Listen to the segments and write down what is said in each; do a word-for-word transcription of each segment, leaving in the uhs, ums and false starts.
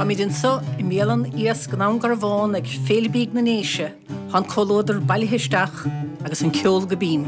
Táimid anseo i mbialann Iasc i nDún Garbhán ag Féile Bídh na nDéise, tá an comhluadar bailithe isteach agus an ceol go binn.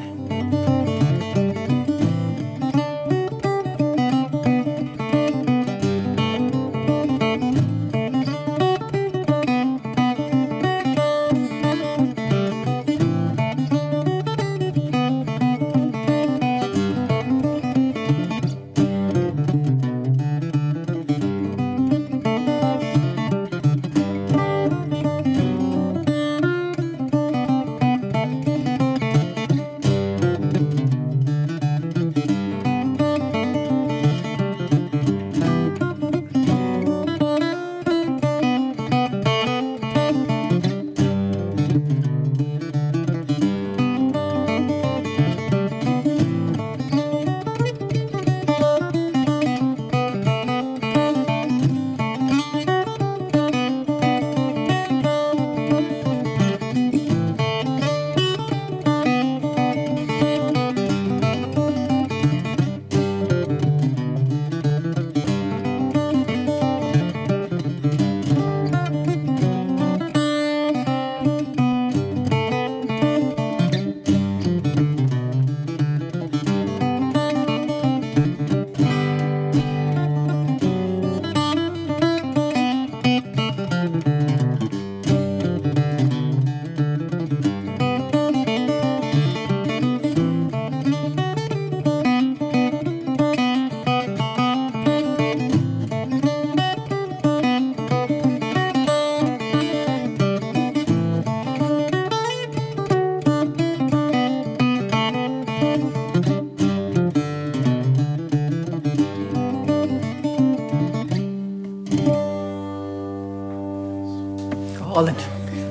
Go hálainn.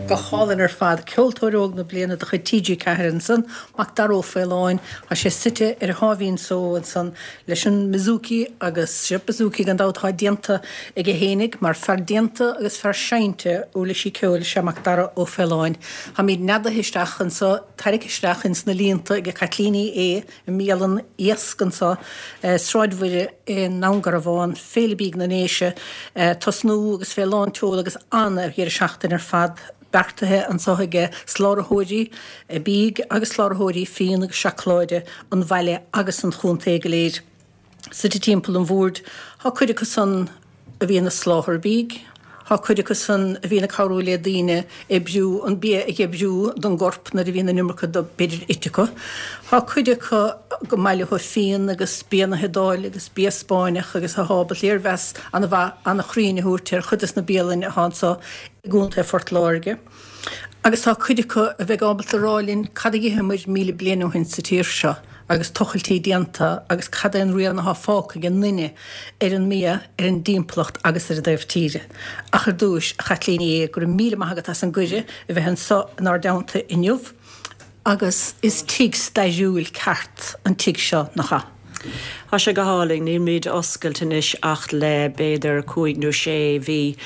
Go hálainn ar fad. Ceoltóir Óg na Bliana de chuid TG Ceathair ansan, Macdara Ó Faoláin. Tá sé suite ar a sháimhín só ansan leis an mbouzouki agus sé bouzouki gan dabht atá déanta aige fhéinig mar fear déanta agus fear seinnte uirlisí ceoil is ea Macdara Ó Faoláin. Táimid neadaithe isteach anso, tarraicthe isteach ins na líonta ag Caitlín Ní Aodha i mbialann Iasc anso, Sráid Mhuire i nDún Garbhán, Féile Bídh na nDéise, tosnú agus fé lán tseoil agus an-dheireadh seachtaine ar fad beartaithe anso aige soláthróirí bídh agus soláthróirí fíon agus seacláide an bhaile agus an chontae go léir. Suite timpeall an bhoird, tá cuid acu san a bhíonn ag soláthar bídh, tá cuid acu san a bhíonn ag cabhrú le daoine oibriú an bia a oibriú don gcorp nuair a bhíonn an iomarca de b'fhéidir ite acu. Tá cuid acu go maith leo fíon agus bia na hIodáile agus bia Spáinneach agus atá ábalta léirmheas an-mhaith an-chruinn a thabhairt ar chuid des na bialainn atá anso i gContae Phort Láirge. Agus tá cuid acu a bheidh ábalta a rá linn cad a d'itheamair míle bliain ó shin sa tír seo agus tochailtí déanta agus cad é an rian atá fágtha ag an nduine ar an mbia, ar an dtimpeallacht agus ar an dtaobh tíre. Ach ar dtúis, a Chaitlín Ní Aodha, go raibh míle maith agat as an gcuireadh a bheith anso inár dteannta inniu. Agus is tigh stairiúil ceart an tigh seo, nach ea? Tá sé go hálainn, nílmid oscailte anois ach le b'fhéidir cúig nó sé mhí,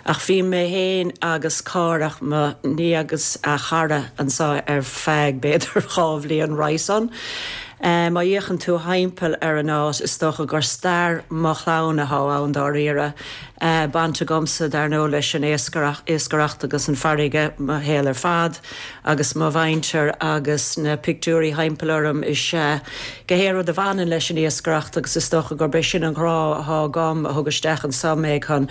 ach bhí mé féin agus Cárthach, mo nia agus a chara anseo ar feadh b'fhéidir dhá bhliain roimhe san. Má fhéachann tú thimpeall ar an áit, is dócha gur stair mo chlann atá ann dáiríre. Baint agamsa dar ndóigh leis an iascaireacht agus an farraige mo shaol ar fad agus mo mhuintir agus na pictiúirí thimpeall orm is ea gach aon rud a bhaineann leis an iascaireacht agus is dócha gurb é sin an grá atá agam a thug isteach anso mé chun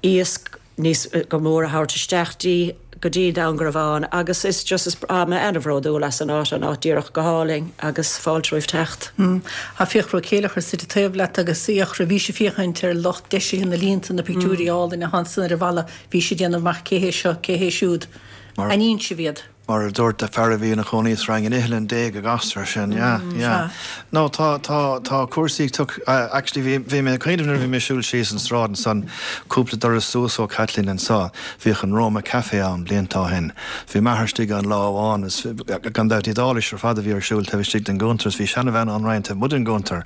iasc níos go mór a thabhairt isteach dí go dtí Dún Garbhán agus is just is tá mé an-bhródúil as an áit, an áit díreach go hálainn agus fáilte roimh teacht. Tá Fiachra Ó Céileachair suite taobh leat agus Fiachra, bhís ag féachaint ar lucht deisithe na líonta, na pictiúirí álainn atá ansan ar an bhalla, bhís ag déanamh amach cé hé seo, cé hé siúd. An ínseamh iad? Mar a dúirt fear a bhí ina chónaí sa Fhrainc, an iothlainn Dé go gcastar sin, yeah, yeah. No, tá tá tá cúrsaí tuk uh, actually bhí bhí mé cuimhneamh nuair bhí mé siúl síos an sráid ansan cúpla doras suas ó Kathleen anseo, bhíodh an Roma Café ann blianta ó shin. Bhí m'athair istigh ann lá amháin is gan dabht Iodáilis ar fad a bhí ar siúl taobh istigh den gcuntar is bhí seanbhean ann roinnt taobh amuigh den gcuntar.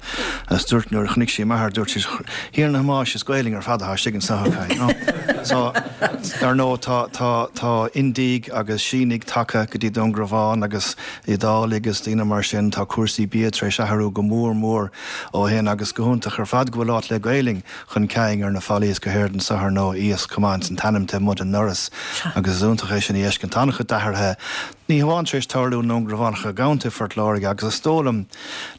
Is dúirt nuair a chonaic sí m'athair dúirt sí Thiarna Thomáis is Gaelainn ar fad atá istigh anseo acu, you know. So ar ndóigh tá tá tá Indiaigh agus Sínigh tagtha go dtí Dún Garbhán agus Iodálaigh agus daoine mar sin tá cúrsaí bia tar éis athrú go mór mór ó shin agus go hiontach ar fad go bhfuil áit le Gaelainn chun cinn ar na fallaí is go háirithe anseo ar ndóigh iasc chomh maith an t-ainm taobh amuigh den ndoras agus is iontach é sin a fheiscint. Tá an-chuid d'athruithe ní hamháin tar éis tarlú i nDún Garbhán ach i gcontae Phort Láirge agus is dóigh liom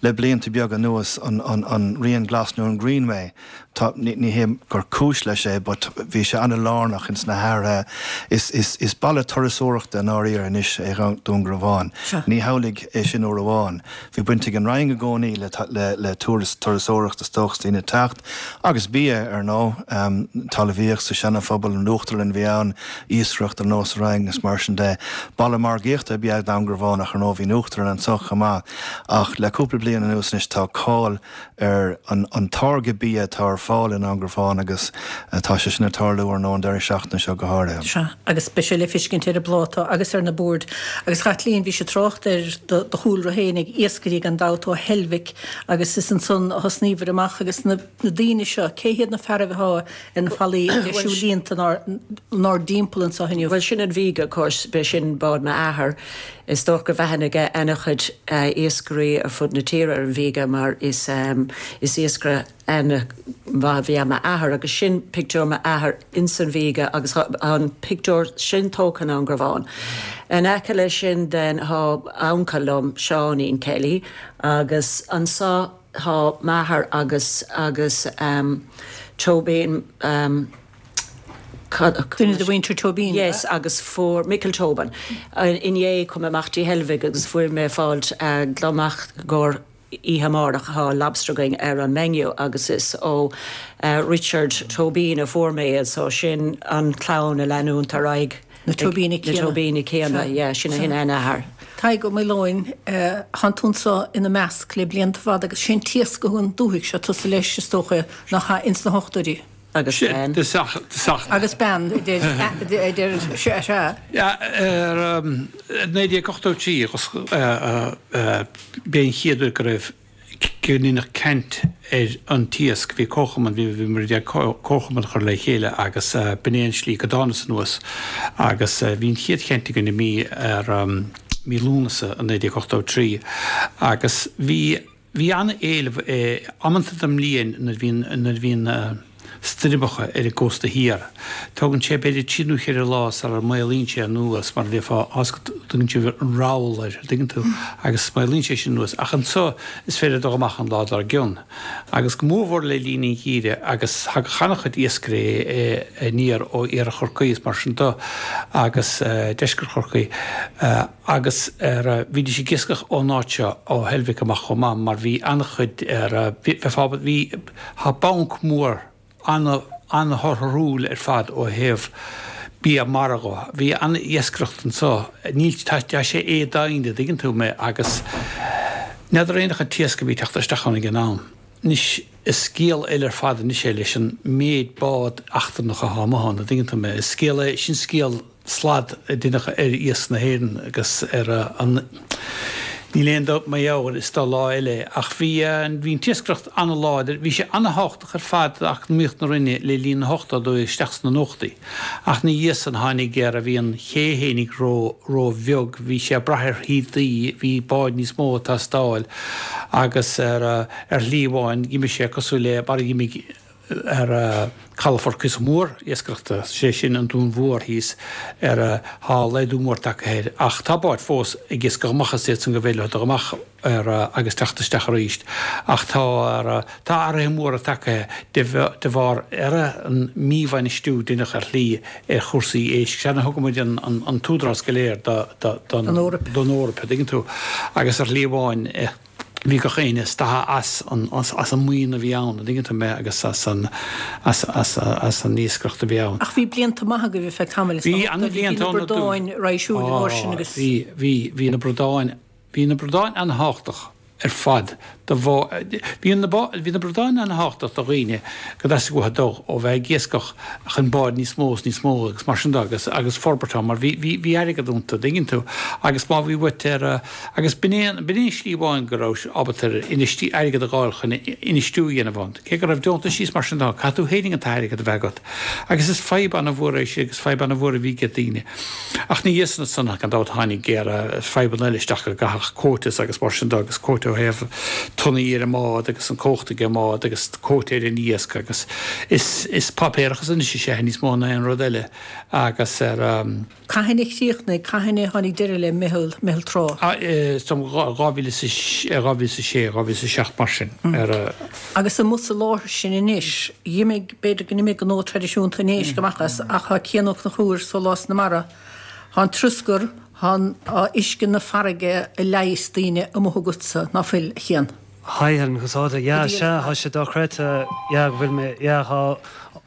le blianta beaga anuas an, an, an Rian Glas nó an Greenway tá ní, ní hé gur cúis leis é, but bhí sé an-lárnach ins na hathruithe. Is, is, is baile turasóireachta i ndáiríre anois é Dún Garbhán. Ní hamhlaidh é sin uair amháin. Bhí baint ag an Rinn i gcónaí le, le, le turas turasóireachta is dócha daoine teacht agus bia ar ndóigh um, talmhaíocht sa seana-phobal an Uachtarlann bhí ann iascaireacht ar nós Rinn is mar sin de. Baile margaíochta ab ea Dún Garbhán ach ar ndóigh bhí an Uachtarlann anseo chomh maith ach le cúpla bliain anuas anois tá cáil ar an, an táirge bia atá ar fáil i nDún Garbhán agus uh, tá sé sin ag tarlú ar ndóigh an deireadh seachtaine seo go háirithe. Sea, agus beidh sé le feiscint ar an bpláta agus ar na boird. Agus Chaitlín bhí sé trácht ar do, do chúlra féin ag iascairí gan dabht ó Heilbhic agus is ansan a thosnaíobhair amach agus na, na daoine seo, cé hiad na fearaibh atá ar na fallaí siúlínta nár, nár dtimpeall anseo inniu. Well sin an Viga of course b'é sin bád m'athar is dócha go bhfuil aithne ag an-chuid uh, iascairí ar fud na tíre ar an Viga mar is um, is iascaire an-mhaith bhí m'athair agus sin pictiúr m'athar insan Viga agus an pictiúr sin tógtha i nDún Garbhán. In aice leis sin den tá uncail liom Seáinín Kelly agus anseo tá m'athair agus agus um, Tobin um, Duine de mhuintir Tobin. Yes, agus fuair Michael Tobin. Inné chuaigh mé amach dtí Heilbhic agus fuair mé fáilt uh, glamach gur oíche amárach tá lobster againn ar an menu agus is ó uh, Richard Tobin a fuair mé so sin an clann a leanann ar aghaidh Na Tobíní na Tobíní céanna yeah, sin a hin athair. Tadhg Ó Maoileoin tá tú anseo ina measc le blianta fada agus sin t-iasc an dúthaigh seo tusa leis is dócha nach ins na hochtóidí. agus ben. Agus ben idir se se. Ja, er naoi déag ochtó trí b'é an chéad uair go raibh gníach caint ar an t-iasc bhí comharchumann bhí bhí mar comharchumann chur le chéile agus b'in é an slí go dtánas anuas agus bhí an chéad chaint againn i mí ar mí Lúnasa an naoi déag ochtó trí agus bhí bhí an-éileamh amanta den mbliain nuair bhíonn nuair bhíonn stoirmeacha ar an gcósta thiar. Tógann sé b'fhéidir trí nó ceithre lá sara maolaíonn sé anuas mar bheifeá tugann sé an roll air tuigeann tú agus maolaíonn sé sin anuas ach anseo is féidir dul amach an lá dár gcionn. Agus go mórmhór le linn an gheimhridh agus thagadh an-chuid iascairí aniar ó iarthar Chorcaí is mar sin de agus deisceart Chorcaí agus ar bhídís ag iascach ón áit seo ó Heilbhic amach chomh maith mar bhí an-chuid ar bhí tá banc mór an-thorthúil ar fad ó thaobh bia mara dhe. Bhí an-iascaireacht anseo níl tá sé éadain tuigeann tú mé agus n'fheadar aon an t-iasc a bhí teacht isteach ann ag an am. Anois is scéal eile ar fad anois é leis an méid bád eachtrannach atá amuigh ann, tuigeann tú mé. Is scéal é sin scéal slad déanach ar iasc na hÉireann agus ar an Níl aon dabht mar gheall is dá lá eile ach bhí bhí an t-iascaireacht an-láidir, bhí sé an-thábhachtach ar fad d'eacnamaíocht na Rinne le linn na hochtóidí isteach sna nóchaidí. Ach ina dhiaidh san tháinig ar a bhí an ché fhéinig ró ró-bheag, bhí sé ag brath ar thaoidí, bhí báid níos mó ag teastáil agus ar ar shlí amháin d'imigh sé cosúil le mar a d'imigh ar calafort cuíosach mór iascaireachta, sé sin an Dún Mhór thíos ar tá laghdú mór tagtha air. Ach tá báid fós ag iascach amach as iad san go bhféidir leo dul amach ar agus teacht isteach arís. Ach tá tá athruithe móra tagtha de de bharr ar an míbhainistiú déanach ar shlí ar chúrsaí éisc. Sea, thug muid an an an t-údarás go léir do do don Eoraip, tuigeann tú. Agus ar shlí amháin Bhí gach éinne stadtha as an as an maoin a bhí ann, an dtuigeann tú mé, agus as an as as as an iascaireacht a bhí ann. Ach bhí blianta maithe agaibh ar feadh tamaill, is Bhí dócha, an-bhlianta bhí na ann ar dtús. bradáin raidhsiúil an uair sin agus. Bhí, bhí, bhí na bradáin, bhí na bradáin an-thábhachtach ar fad do bhá, bhí na bá, bhí na bradáin an-thábhachtach do dhaoine go dteastaigh uathu dul ó bheith ag iascach chun báid níos mó is níos mó agus mar sin de agus agus forbairt ann mar bhí, bhí, bhí airgead iontu, an dtuigeann tú, agus má bhí uait ar, agus b'in é an, b'in é an slí amháin go raibh ábalta ar infheistí, airgead a dh'fháil chun infheistiú a dhéanamh ann. Cé go raibh deontaisí is mar sin de, caithfidh tú fhéinig an t-airgead a bheith agat. Agus is fadhb an-mhór é sin agus fadhb an-mhór a bhí ag daoine. Ach ina dhiaidh san ansan, gan dabht, tháinig géar fadhbanna eile isteach go gcaithfeadh quotas agus mar sin de agus quota ó thaobh tonnaí ar an mbád agus an cumhacht ag an mbád agus quota ar an iasc agus is is páipéarachas anois is ea níos mó ná aon rud eile agus ar Cathain a chríochnaigh, cathain a tháinig deireadh le Meitheal, Meitheal Trá? Is dóigh liom dhá mhíle is a dhá mhíle is a sé, dhá mhíle is a seacht mar sin ar. Agus amuigh sa láthair sin anois, d'imigh, b'fhéidir go n-imigh gnó traidisiúnta an éisc amach as ach tá Cian Ó Conchúir, Sólás na Mara, tá an troscar, tá an, tá uisce na farraige a leigheas daoine amuigh agatsa, ná fuil, a Chian? Hi Helen, conas tá tú? Yeah, sea, tá sé dochreidte, yeah, go bhfuil mé, yeah, tá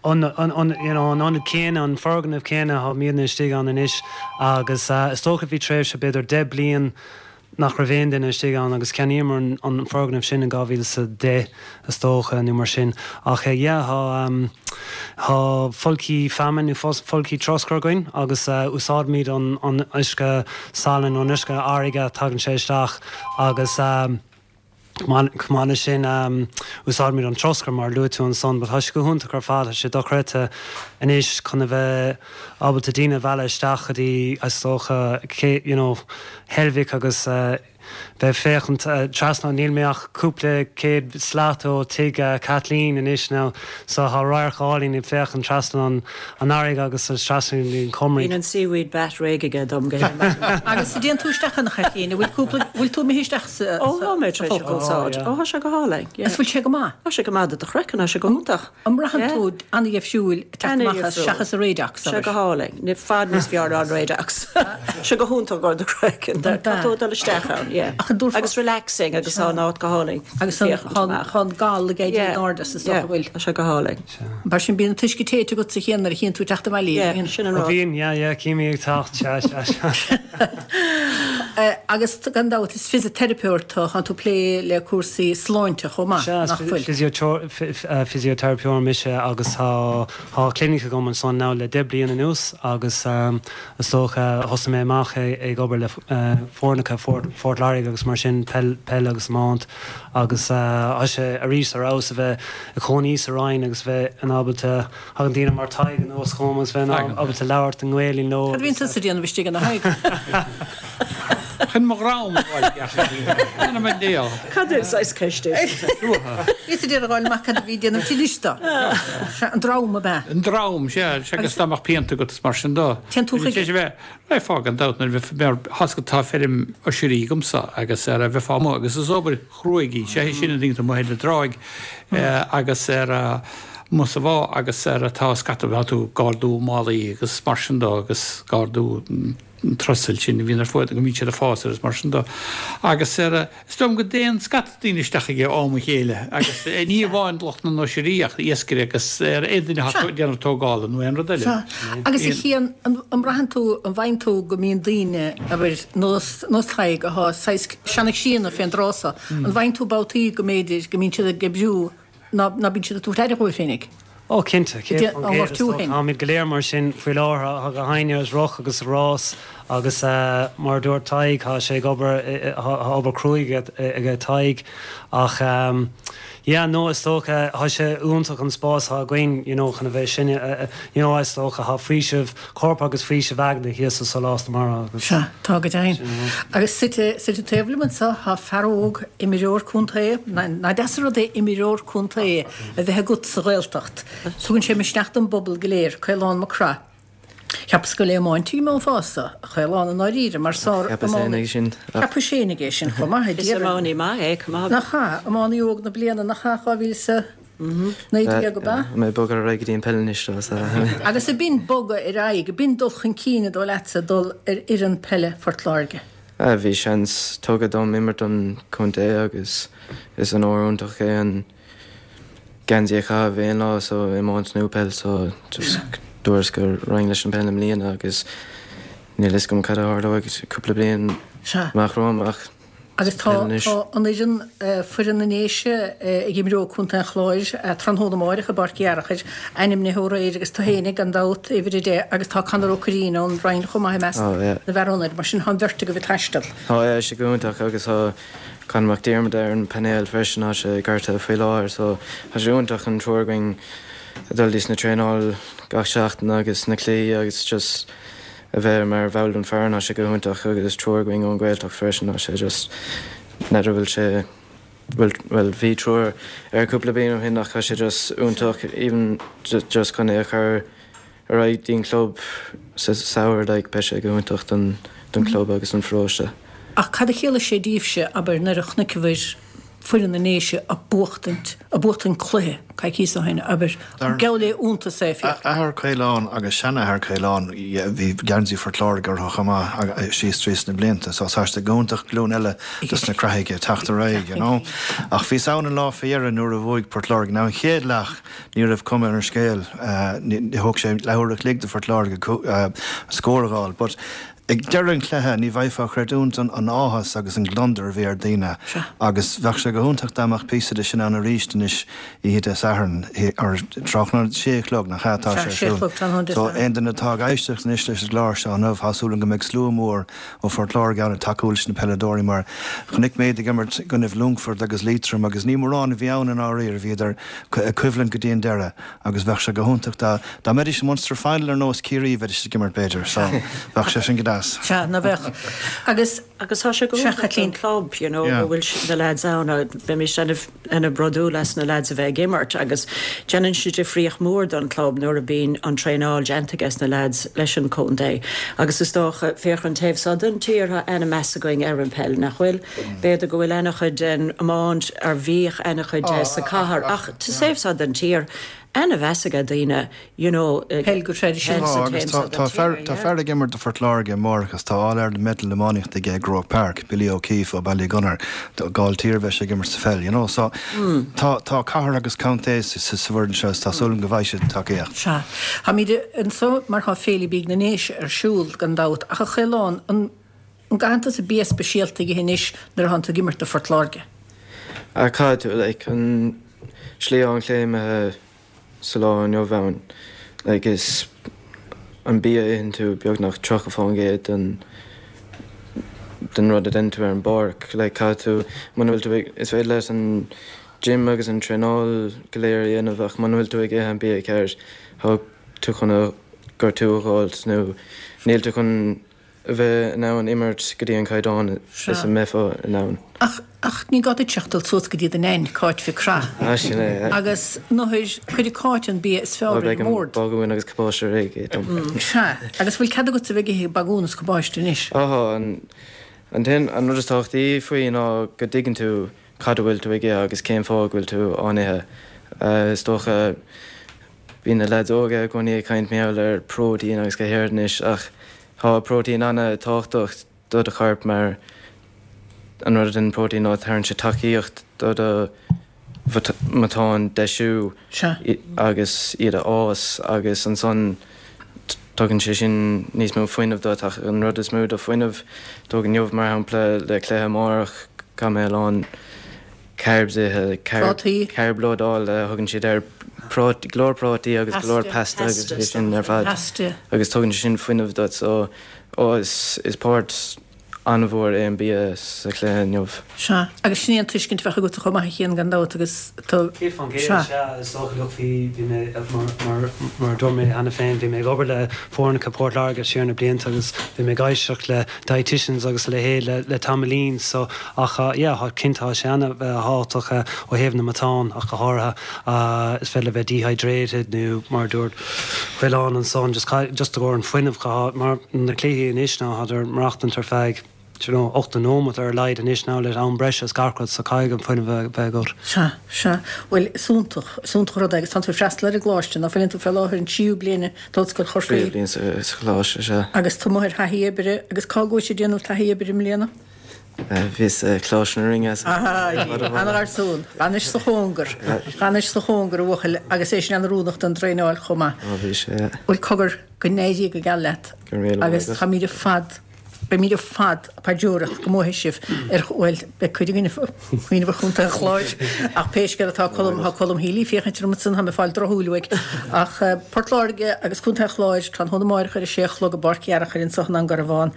an, an, an, you know, an ionad céanna, an foirgneamh céanna, tá muidne istigh ann anois agus is dócha bhí tréimhse b'fhéidir deich bliain nach raibh aon duine istigh ann agus cheannaíomar an, an foirgneamh sin in dhá mhíle is a deich is dócha nó mar sin. Ach yeah, tá, tá folcthaí feamainne nó folcthaí troscair againn agus úsáidimid an, an uisce salainn nó an uisce farraige, tagann sé isteach agus, Chomh maith leis sin, úsáidimid an troscar mar a luaigh tú ansan, but tá sé go hiontach ar fad, tá sé dochreidte anois chun a bheith ábalta daoine a mhealladh isteach go dtí, is dócha, you know, Heilbhic agus bheith féachaint trasna, níl mé ach cúpla céad slat ó tigh Kathleen anois now, so tá radharc álainn ag féachaint trasna an fharraige agus trasna an Chomaraigh. Bíonn an seaweed bath réidh aige dom go héimeach. Agus a dtéann tú isteach ann a Chaitlín, an bhfuil cúpla, bhfuil tú imithe isteach sa, Ó, tá mé tar éis sa a úsáid. Ó, tá sé go hálainn, yeah. Is bhfuil sé go maith? Tá sé go maith do do chraiceann, tá sé go hiontach. An mbraitheann Yeah. tú an-dheifriúil ag teacht amach as An-dheifriúil. seachas an Radox, Sé abair? go hálainn. I bhfad níos fearr ná an Radox. Sé go hiontach do do chraiceann. An Tá tú ag dul isteach ann, yeah. Ach an dtabharfá- Agus relaxing agus tá an áit go hálainn. Agus an Féachaint tá amach. tá an gal ag éirí Yeah. in airde is dócha Yeah, bhfuil. Tá sé go hálainn. Mar sin bíonn an t-uisce téite agat sa chéanna nuair a chíonn tú teacht abhaile. Yeah, bíonn. sin an Ó rud. bhíonn, yeah, yeah, cím í ag teacht, sea, sea, sea. Eh, Agus gan dabht is fisiteiripeoir tú, tá tú plé le cúrsaí sláinte chomh maith, Sea, nach bhfuil? Fisioteiripeoir mise agus tá tá clinic agam ansan now le deich bliain anuas agus um, is dócha thosaigh mé amach ag ag obair le uh, foirneacha Phort Phort Láirge agus mar sin peil peil agus iomáint agus uh, tá sé arís ar fheabhas a bheith ag cónaí sa Rinn agus bheith in ábalta thagann daoine mar Tadhg anuas chugam agus bheith in Tagann. ábalta labhairt i nGaeilge leo. Cad a bhíonn tusa ag déanamh istigh ina Thaidhg? Chun mo dhram a fháil. Mar déal. Cad é saghas ceist é sin? Is a déarfá amach cad a bhí déanamh tilista. An dram ab ea. An dram sé sé agus dá mbeadh pianta agat is mar sin dó. Téann tú chuige- Sé bheith ré fágan daut nuair bheith mar hasca tá feirm oisirí agamsa agus ar a bheith fá agus is obair chruaidh í sé sin an ding mo le dráig agus ar mus a bhá agus ar atá scata bheith tú gardú málaí agus mar sin dó agus gardú trusail sin a bhíonn ar fud go mbíonn siad ag fás agus mar sin dó. Agus ar is dóigh liom go dtéann scata daoine isteach aige am a chéile agus ní amháin lucht na n-oisirí ach iascairí agus ar aon duine atá ag déanamh tógála nó aon rud eile. Agus a Chian, an an mbraitheann tú, an bhfaigheann tú go mbíonn daoine abair nós nós Tadhg atá saghas seanach-síona fén dtrá so, an bhfaigheann tú babhtaí go mb'fhéidir go mbíonn siad ag oibriú ná ná bíonn siad ag tabhairt aire dhóibh féinig? Ó cinnte, Dé- an ngortú féin. Táimid go léir mar sin faoi láthair tá gach éinne as roth agus rás agus uh, mar a dúirt Tadhg tá sé ag obair eh, eh, tá obair chruaidh ag Tadhg ach um, yeah, no is dócha tá sé iontach an spás atá againn you know, chun a bheith sin uh, you know, is dócha tá faoiseamh corp agus faoiseamh aigne thíos sa Sólás na Mara agus Sea, tá go deimhin. Agus suite suite taobh liom anseo tá fear óg imreoir contae, ná deas an rud é imreoir contae a bheith agat sa Ghaeltacht. Tugann sé misneach don bpobal go léir, Caolán Mac Craith. Cheapas gur le iomáint a bhí mé fosta, a Chaoláin i ndáiríre, mar sár Cheapas féin ag sin. Cheapas féin aige sin chomh maith, Is iománaí maith é, chomh maith. Nach ea, iománaí óg na bliana, nach ea, dhá mhíle is a naoi déag ab ea? Mé bogadh ar aghaidh go dtí an peil anois dó, so. Agus ab in bogadh ar aghaidh, ab in dul chun cinn a dó leatsa dul ar fhoireann peile Phort Láirge. Bhí seans tugtha dom imirt don chontae agus is onóir iontach é an geansaí a chaitheamh aon lá so iomáint nó peil so just dúirt go raghainn leis an peil i mbliana agus níl fhios agam cad a tharlóidh cúpla bliain amach romham ach Agus tá an fhoireann, foireann na nDéise ag imreoidh Contae an Chláir tráthnóna amáireach i bPáirc Uí Fhearchair, ainmnithe aréir agus tú fhéinig gan dabht, uimhir a deich, agus tá Conor Ó Curraoin ón Rinn chomh maith i measc na bhfear ionaid, mar sin tá an bheirt agaibh ag taisteal. Tá, tá sé go hiontach agus tá Conor Mac Diarmada ar an painéal freisin, tá sé gortaithe faoi láthair so tá sé iontach an triúr againn ag dul dtí na traenáil gach seachtain agus na cluichí agus just a bheith mar bhall den foireann, tá sé go hiontach agus triúr againn ón Ghaeltacht freisin, tá sé just, n'fheadar bhfuil sé, bhfuil, bhuel bhí triúr ar cúpla bliain ó shin ach tá sé just iontach even just chun é a chur ar aghaidh dtí'n club sa samhradh like beidh sé go hiontach don don club agus don pharóiste. Ach cad a chiallaigh sé daoibhse, abair, nuair a chonaiceabhair foireann na nDéise a' buachtaint, a' buachtaint cluiche coicíos ó shin, abair, geall le iontas é, féach. Athair Caolán agus seanathair Caolán, bhí geansaí Phort Láirge orthu chomh maith síos trí sna blianta, so tá sé go hiontach glúin eile dos na Creathaigh ag teacht ar aghaidh, you know. Ach bhíos ann an lá fé dheireadh nuair a bhuaigh Port Láirge. Now an chéad leath ní raibh cuma ar an scéal, thóg sé leathuair a chloig do Phort Láirge scór a dh'fháil, but Ag deireadh an chluiche, ní bheifeá ag creidiúint an áthas agus an gliondar a bhí ar daoine agus bheadh sé go hiontach dá mbeadh píosa de sin ann arís anois oíche Dé Sathairn, or tráthnóna, sé a chlog, nach ea, atá sé ar siúl. So aon duine atá ag éisteacht anois leis an gclár seo inniu, tá súil agam go mbeidh slua mór ó Phort Láirge ann ag tacú leis na peileadóirí mar chonaic mé iad ag imirt i gcoinnibh Longfort agus Liatroim agus ní mórán a bhí ann i ndáiríre, bhíodar ag coimhlint go dtí an deireadh. Agus bheadh sé go hiontach dá dá mbeidís i Munster Final ar nós Ciarraí, bheidís ag imirt b'fhéidir, so bheadh sé sin go deas. Sea, ná bheadh. Agus, Agus tá sé go sea, hiontach don Chaitlín. club, you know, Yeah. go bhfuil na lads ann, bheimis ana-bhródúil as na lads a bheith ag imirt agus déanann sé difríocht mhór don club nuair a bíonn an traenáil déanta ages na lads leis an chontae. Agus is dócha, féach an taobh seo den tír, tá ana-mheas againn ar an peil, nach bhfuil? B'fhéidir go bhfuil ana-chuid den iomáint, ar bhíodh ana-chuid de sa chathair, ach sa taobh seo den tír, ana-mheas aige daoine, you know, Peil go traidisiúnta. Tá, agus tá, tá fear, tá fear ag imirt do Phort Láirge amárach agus tá All Ireland medal iománaíochta aige i gCroke Park, Billy O'Keeffe ó Ballygunner, Gailltír a bheidh sé ag imirt sa pheil, you know, so tá, tá cathair agus contae sa, sa, sa bhfoireann seo is tá súil agam go bhfaighidh siad tacaíocht. Sea. Táimid anseo mar tá Féile Bídh na nDéise ar siúl, gan dabht, ach a Chaoláin, an, An gcaitheann tusa bia speisialta a ithe anois nuair atánn tú ag imirt do Phort Láirge? Ah caithfidh tú, like, an slí atá an cluiche imithe sa lá inniu ann, like, is an bia a itheann tú beagnach tríocha fán gcéad den den rud a deineann tú ar an bpáirc, like, caithfidh tú, muna bhfuil tú ag, is féidir leat an gym agus an traenáil go léir a dhéanamh ach muna bhfuil tú ag ithe an bia ceart, tá tú chun gortú a dh'fháilt nó níl tú chun a bheith in ann imirt go dtí an caighdeán is a mbeifeá in ann. Ach, ach ní gá duit ach dul suas go dtí do Nain, Cáit Mhic Craith. Ah, sin é, yeah. Agus nuair, cuirfidh Cáit an bia is fearr ar Beidh an an mbord. bagún agus cabáiste réidh dom. Sea. Agus bhfuil cead agatsa a bheith ag ithe bagún is cabáiste anois? Á, tá. An, an t-aon, an rud is tábhachtaí faoi ná go dtuigeann tú cad a bhfuil tú ag ithe agus cén fáth go bhfuil tú á n-ithe. Is dócha, bíonn na leaids óga i gcónaí ag caint mar gheall ar próitéin agus go háirid anois ach Tá próitéin an-tábhachtach do do chorp mar an rud a dhéanann próitéin ná tabharann sé tacaíocht do do mhatáin deisiú agus iad a fhás agus ansan tugann sé sin níos mó fuinnimh duit ach an rud is mó do fuinneamh tóg inniu mar shampla le cluiche amárach caithfidh mé a lán carbs a ithe, Prátaí. carb loadáil a thugann siad air, go leor prátaí agus go leor pasta agus é sin ar fad agus tugann sé sin fuinneamh duit so ó is is páirt an-mhór é an bia sa chluiche inniu. Sea, agus sin é an tuiscint a bheadh agatsa chomh maith a Chian gan dabht agus tú, Céad fán gcéad, sea. sea, is dócha, look bhí, bhí mé, mar, mar, mar a dúirt mé cheana féin, bhí mé ag obair le foirneacha Port Láirge siar na blianta agus bhí mé ag éisteacht le dietitians agus a leithéid le, le tamaillín so ach yeah tá cinnte tá sé an-thábhachtach ó thaobh na matán ach go háirithe is féidir le bheith dehydrated nó mar a dúirt Caolán ansan just just i gcomhair an fuinneamh go mar na cluichí anois ná thádar maireachtaint ar feadh you know, ochtó nóiméad ar a laghad anois now le am breise is gach rud so caithfidh an fuinneamh a bheith agat. Sea, sea. Bhuel, is iontach, is iontach an rud é agus tánn tú ag freastal ar an gcoláiste, ná fuileann tú fé láthair an tríú bliain d'Ollscoil Chorcaí. Tríú bliain sa choláiste, sea. Agus tú amuigh ar thaithí oibre agus cá gcuais ag déanamh taithí oibre i mbliana? Bhíos i Coláiste na Rinne. Ana-gharsún. Anois sa chóngar. Anois sa chóngar a bhuachaill agus é sin an-oiriúnach don traenáil chomh maith. Ó bhí sé. Bhuel cogar go n-éirí go geal leat. Go raibh míle maith Agus agat. táimid ar fad, beimid ar fad ag paidreoireacht go mbuafaidh sibh ar, bhuel, beidh cuid againn ag cuimhneamh ar Chontae an Chláir ach pé scéal atá Colm, tá Colm Healy ag féachaint orm ansan, tá mé ag fáil drochshúil uaidh. Ach Port Láirge agus Contae an Chláir, tráthnóna amáireach ar a sé a chlog i bPáirc Fhearchair anso i nDún Garbhán.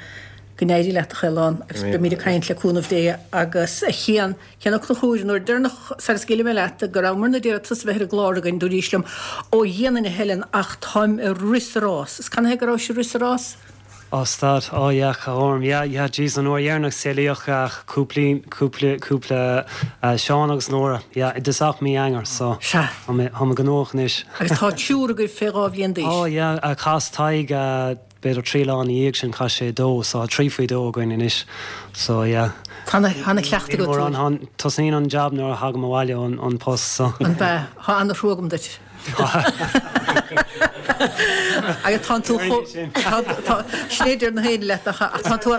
Go n-éirí leat, a Chaoláin, agus beimid ag caint le cúnamh Dé agus a Chian, Cian Ó Conchúir, an uair deireanach sara scaoilfidh mé leat go rabhamar ag iarraidh tusa bheith ar an gclár againn, dúraís liom, Ó dhéanfainn a Helen ach táim ag rith sa rás. Is canathaobh go rabhais ag rith sa rás? Ó stad, ó yeah, orm, yeah, yeah, jeez, an uair dheireanach saolaíodh cúpla, cúpla, cúpla Seán agus Nóra, yeah, i dtosach mí Eanáir, so Sea. tá mé, tá mé gnóthach anois. Agus tá triúr agaibh fé dhá bhliain d'aois. Ó yeah, chas Tadhg b'fhéidir trí lá ina dhiaidh sin chas sé dó so tá trí faoi dó againn anois so yeah. Tá ana-chleachtadh agat. Mórán, tá, tosnaíonn an jab nuair a thagaim abhaile ón ón post so. An bea? Tá ana-thrua agam duit. Agus tánn tú chomh, tá, tá, sin é a deir na héinne leat ach tánn tú,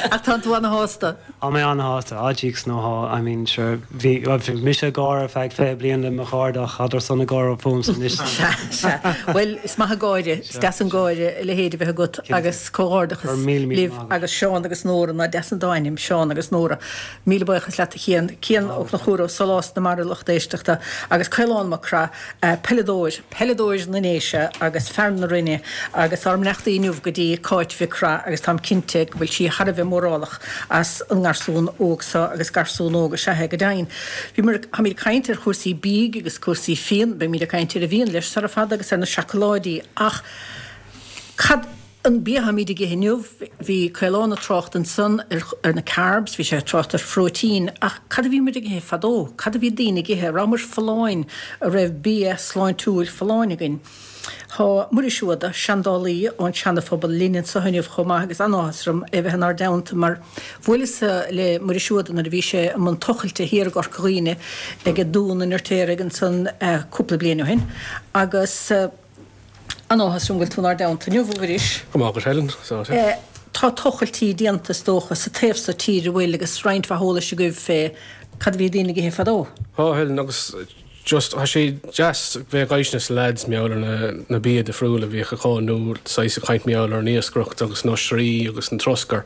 ach tánn tú ana-shásta. Tá mé an-shásta, ah jeeks no thá, I mean sure, bhí, bhí mise ag gáire ar feadh fiche bliain le mo chairde ach thádar san ag gáire fúmsa anois. Sea, sea. Bhuel, is maith an gáire, is deas an gáire a leithéid a bheith agat agus comhghairdeachas libh agus Seán agus Nóra, ná deas an dá ainm, Seán agus Nóra. Míle buíochas leat a Chian. Cian Ó Conchúir ó Sólás na Mara lucht éisteachta agus Caolán Mac Craith, peileadóir, peileadóir na nDéise agus fear na Rinne agus ár mbeannachtaí inniu go dtí Cáit Mhic Craith agus táim cinnte go bhfuil sí thar a bheith mórálach as an ngarsún óg seo agus garsún óg is ea é go deimhin. Bhíomar, táimid ag caint ar chúrsaí bídh agus cúrsaí fíon, beimid ag caint ar an bhfíon leis sara fada agus ar na seacláidí ach cad an bia atáimid ag ithe inniu? Bhí Caolán ag trácht ansan ar, ar na carbs, bhí sé ag trácht ar phróitín ach cad a bhí muid ag ithe fadó? Cad a bhí daoine ag ithe? Rabhamar folláin, a raibh bia sláintiúil folláin againn? Tá Muiris Ó hAodha, seandálaí ón Seana-Phobal linn anseo inniu chomh maith agus an-áthas orm é bheith inár dteannta mar bhuaileas-sa le Muiris Ó hAodha nuair a bhí sé i mbun tochailte thiar i gCorca Dhuibhne ag Dún an Fheirtéaraigh ansan cúpla bliain ó shin agus an-áthas orm go bhfuil tú inár dteannta inniu, a Mhuiris. Go maith agat Helen. Tá tochailtí déanta is dócha sa taobh so tíre, an bhfuil agus roinnt mhaith eolais agaibh fé cad a bhí daoine ag ithe fadó. Tá Helen agus just tá sé deas bheith ag éisteacht leis na lads mar gheall ar na na bia difriúil a bhíodh acu nó saghas ag caint mar gheall ar an iascaireacht agus na oisrí agus an troscar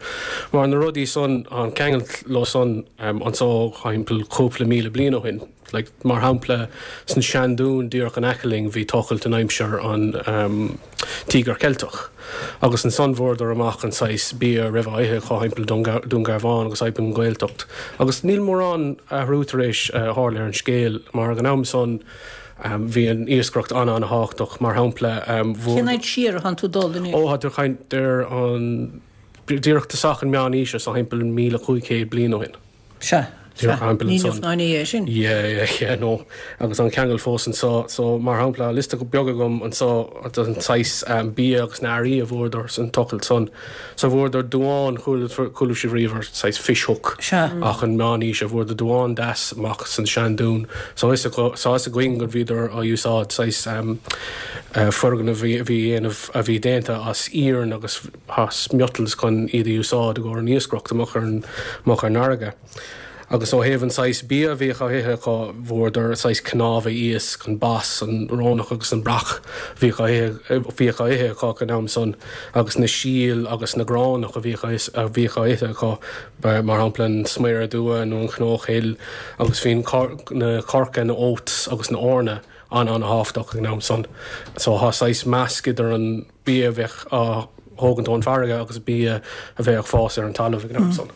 mar na rudaí san tá an ceangal leo san anso thimpeall cúpla míle bliain ó shin. Like, mar shampla san seandún díreach in aice linn bhí tochailt in aimsir an um, Tíogar Ceilteach. Agus ansan bhfuaireadar amach an saghas bia a raibh á ithe acu thimpeall Dún Garbhán agus thimpeall an Ghaeltacht. Agus níl mórán athrú tar éis tharla ar an scéal mar ag an am san bhí an iascaireacht an-an-thábhachtach mar shampla bhfuair. Cén fhad siar atánn tú dul anois? Ó, tá tú ag caint ar an díreach tosach an meán aoise so thimpeall míle cúig chéad bliain ó shin. Sea. Sea, ní inniu ná inné é sin. Yeah, yeah, yeah, no. Agus an ceangal fós anso. So, mar shampla, liosta beag agam anso den saghas bia agus na earraí a bhfuaireadar san tochailt san. So bhfuaireadar duán, chuala sibh riamh ar saghas fish hook. Sea. Ach an meán aoise, bhfuaireadar duán deas amach san seandún. So is tá fhios againn go bhíodar á úsáid saghas foirgneamh a bhí dhéanamh a bhí déanta as iarann agus as miotals chun iad a úsáid i gcomhair an iascaireacht amach ar an amach ar an fharraige. Agus ó thaobh an saghas bia a bhíodh á ithe acu, bhfuaireadar saghas cnámha iasc, an bass, an rónach agus an breac a bhíodh á ithe bhíodh á ithe acu ag an am san, agus na síl agus na gránach a bhíodh a bhíodh á ithe acu, mar shampla an sméara dubha nó an chnóchill, agus bhí an na coirce, na oats agus na eorna an-an-thábhachtach ag an am san. So tá saghas measc idir an bia a bheadh á thógaint ón bhfarraige agus bia a bheadh ag fás ar an talamh ag an am san.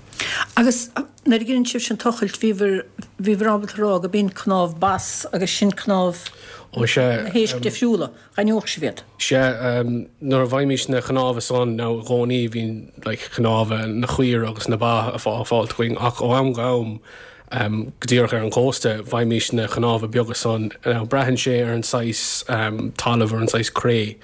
Agus nuair a dhein sibhse an tochailt, bhíobhair, bhíobhair ábalta a rá go b'in cnámh bass agus sin cnámh Ó sea. na héisc difriúla, d'aithneodh sibh iad? Sea, nuair a bhfaighimís na cnámha san, now i gcónaí bhíonn like cnámha na caor agus na ba á fáilt againn ach ó am go ham um, go díreach ar an cósta, bhfaighimís na cnámha beaga san. Now, braitheann sé ar an saghas um, talamh ar an saghas cré.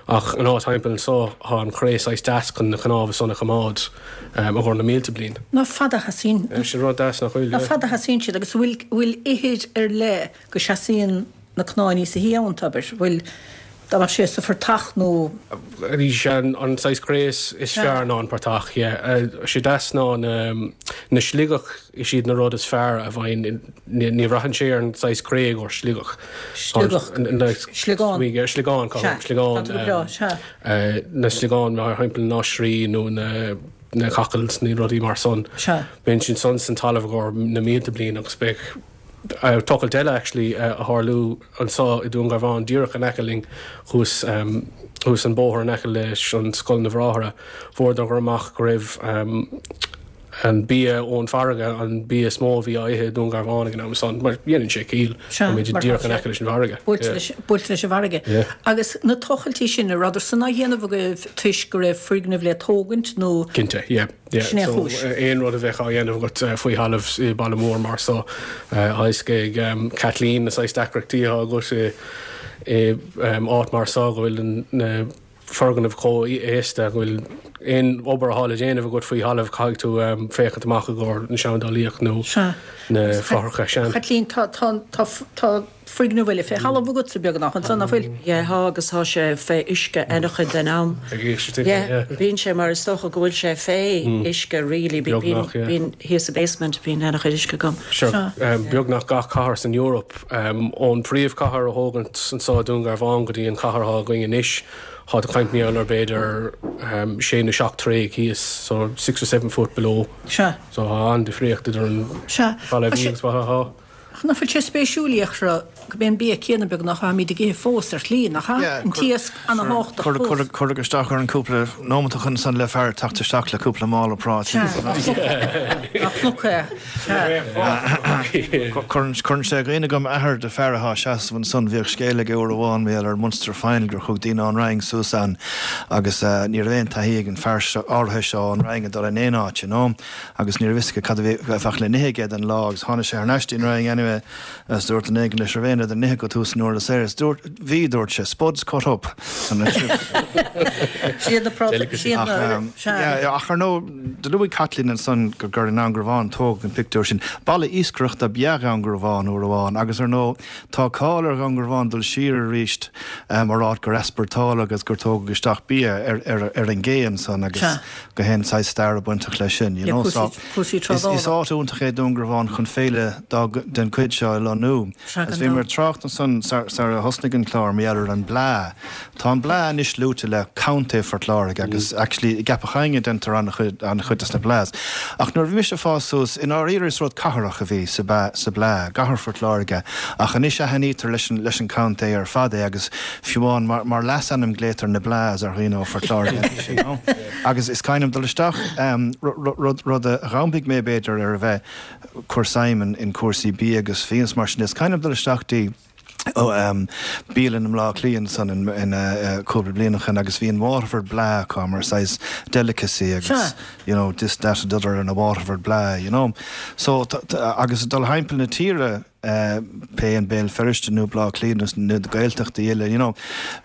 Ach an áit timpeall anseo tá an chré saghas deas chun na cnámha san a choimeád um, ó na mílte bliain. Ná fada sheasann. Sin rud deas nach bhfuil. Ná fada sheasann siad agus bhfuil bhfuil ithir ar leith go seasaíonn na cnámha sa híann tabair, bhfuil dá mbeadh sé sa phortach nó Arís an an saghas cré is is fearr ná an portach, yeah. Uh, sé deas ná na, na sliogach is iad na rud is fearr a bhain ní ní bhraitheann sé ar an saghas cré ó sliogach. Sliogach. Sliogán. Sliogán Sea, sliogán. tá tú go breá, sea. Uh, na sliogán mar shampla na oisrí nó na na cockles nó rudaí mar san. Sea. Bíonn sin san san talamh go na mílte bliain agus beidh uh, tochailt eile actually uh, a tharlú anseo i Dún Garbhán díreach in aice linn thuas um, thuas an bóthar in aice leis an scoil na mBráithre fuaireadar amach go raibh um, an bia ón farraige an bia is mó a bhí á ithe Dún Garbhán ag an am san mar dhéanann sé ciall Sea, mar díreach tá in sé aice leis an bhfarraige. Buailte Yeah. leis buailte leis an bhfarraige. Yeah. Agus na tochailtí sin an rabhadar san á dhéanamh agaibh toisc go raibh foirgneamh le tógaint nó Cinnte, yeah. Yeah. Sin é So, chúis. uh, aon rud a bheith á dhéanamh agat uh, faoi thalamh i baile mór mar so uh, ag um, Kathleen na saghas deacrachtaí agat i i um, áit mar so go bhfuil an- na foirgnimh chomh haosta go bhfuil aon obair atá le déanamh agat faoi thalamh caithfidh tú um, féachaint amach i gcomhair na seandálaíocht nó Sea. na fothracha sean. Kathleen tá tá tá tá foirgneamh eile fé thalamh agat sa beagnach ansan nach bhfuil. Yeah, thá agus thá sé fé uisce an-chuid den am. Ag éisteacht, Yeah, yeah. bíonn sé mar is dócha go bhfuil sé fé uisce really bí- Beagnach, yeah. bíonn thíos sa basement bíonn an-chuid uisce agam. Sure, um, beagnach gach cathair san Europe um, ón príomhcathair a thógadh anseo Dún Garbhán go dtí an cathair atá againn anois tá tú ag caint ar b'fhéidir um, sé nó seacht troigh thíos so six or seven foot below. Sea. So tá an-difríocht idir an Sea. baile Tá sé- agus baile thá. Ach nach bhfuil sé spéisiúil ra go mbíonn bia céanna beagnach atáimid ag ithe fós ar shlí nach Yeah, an t-iasc an-tábhachtach fós. Cuir isteach ar an cúpla nóiméad chun san le fear teacht isteach le cúpla mála prátaí. Ach cnoc Cuireann sé i gcuimhne dom athair de fear atá seasamh ansan bhíodh scéal aige uair amháin mé ar Munster Final gur thug daoine an Rang suas an agus uh, ní raibh aon taithí ag an fear áirithe seo an Rang a dul in aon áit, you know? agus ní raibh a fhios cad a bheadh le n-ithe aige an lá agus tháinig sé ar ais an Rang anyway as dúirt an éigen leis raibh den nithe go tús nuair a sé dúirt bhí dúirt sé spuds cut up. Siad na Delicacy. siad na Ach ar nó de luaigh Kathleen ansan gur gur in Angrabhán tóg an pictiúr sin. Baile iascaireachta ab ea Dún Garbhán uair amháin, agus ar nó tá cáil ar Dhún Garbhán dul siar arís mar áit gur easpórtáladh agus gur tógadh isteach bia ar, ar, ar an gcé ansan agus Sea. go hen sa stair bainteach leis sin. You Le know, cúrsaí- so cúrsaí is, is trádála. áit iontach é Dún Garbhán chun féile dá, den chuid seo a lonnú. Sea, Agus gan bhí mar dabht. trácht ansan sar sar a thosnaigh an clár mé ar an Bleá. Tá an Bleá anois luaite le Contae Phort Láirge agus actually i gCeapach Adhainne déantar an-chuid an-chuid des na Bleás. Ach nuair bhí mise ag fás suas in áiríre is rud cathrach a bhí sa ba- sa Bleá, gCathair Phort Láirge, ach anois aithnítear leis an leis an contae ar fad é agus fiú amháin mar, mar leasainm glaotar na Bleás ar dhaoine ó Phort Láirge anois, you know. Agus is cuimhin liom dul isteach um, rud rud a ghambig mé b'fhéidir ar a bheith cur suim in cúrsaí bia agus fíon mar sin is cuimhin liom dul isteach dtí ó um, bialann i mBleá Cliath san in, in uh, cúpla bliain ó shin agus bhí an Waterford Bleá acu mar saghas delicacy agus Sure. you know this that and the other and a Waterford Bleá you know so t- t- agus dul thimpeall na tíre uh, pé an Béal Feirste nó Bleá Cliath nó na Gaeltachtaí eile you know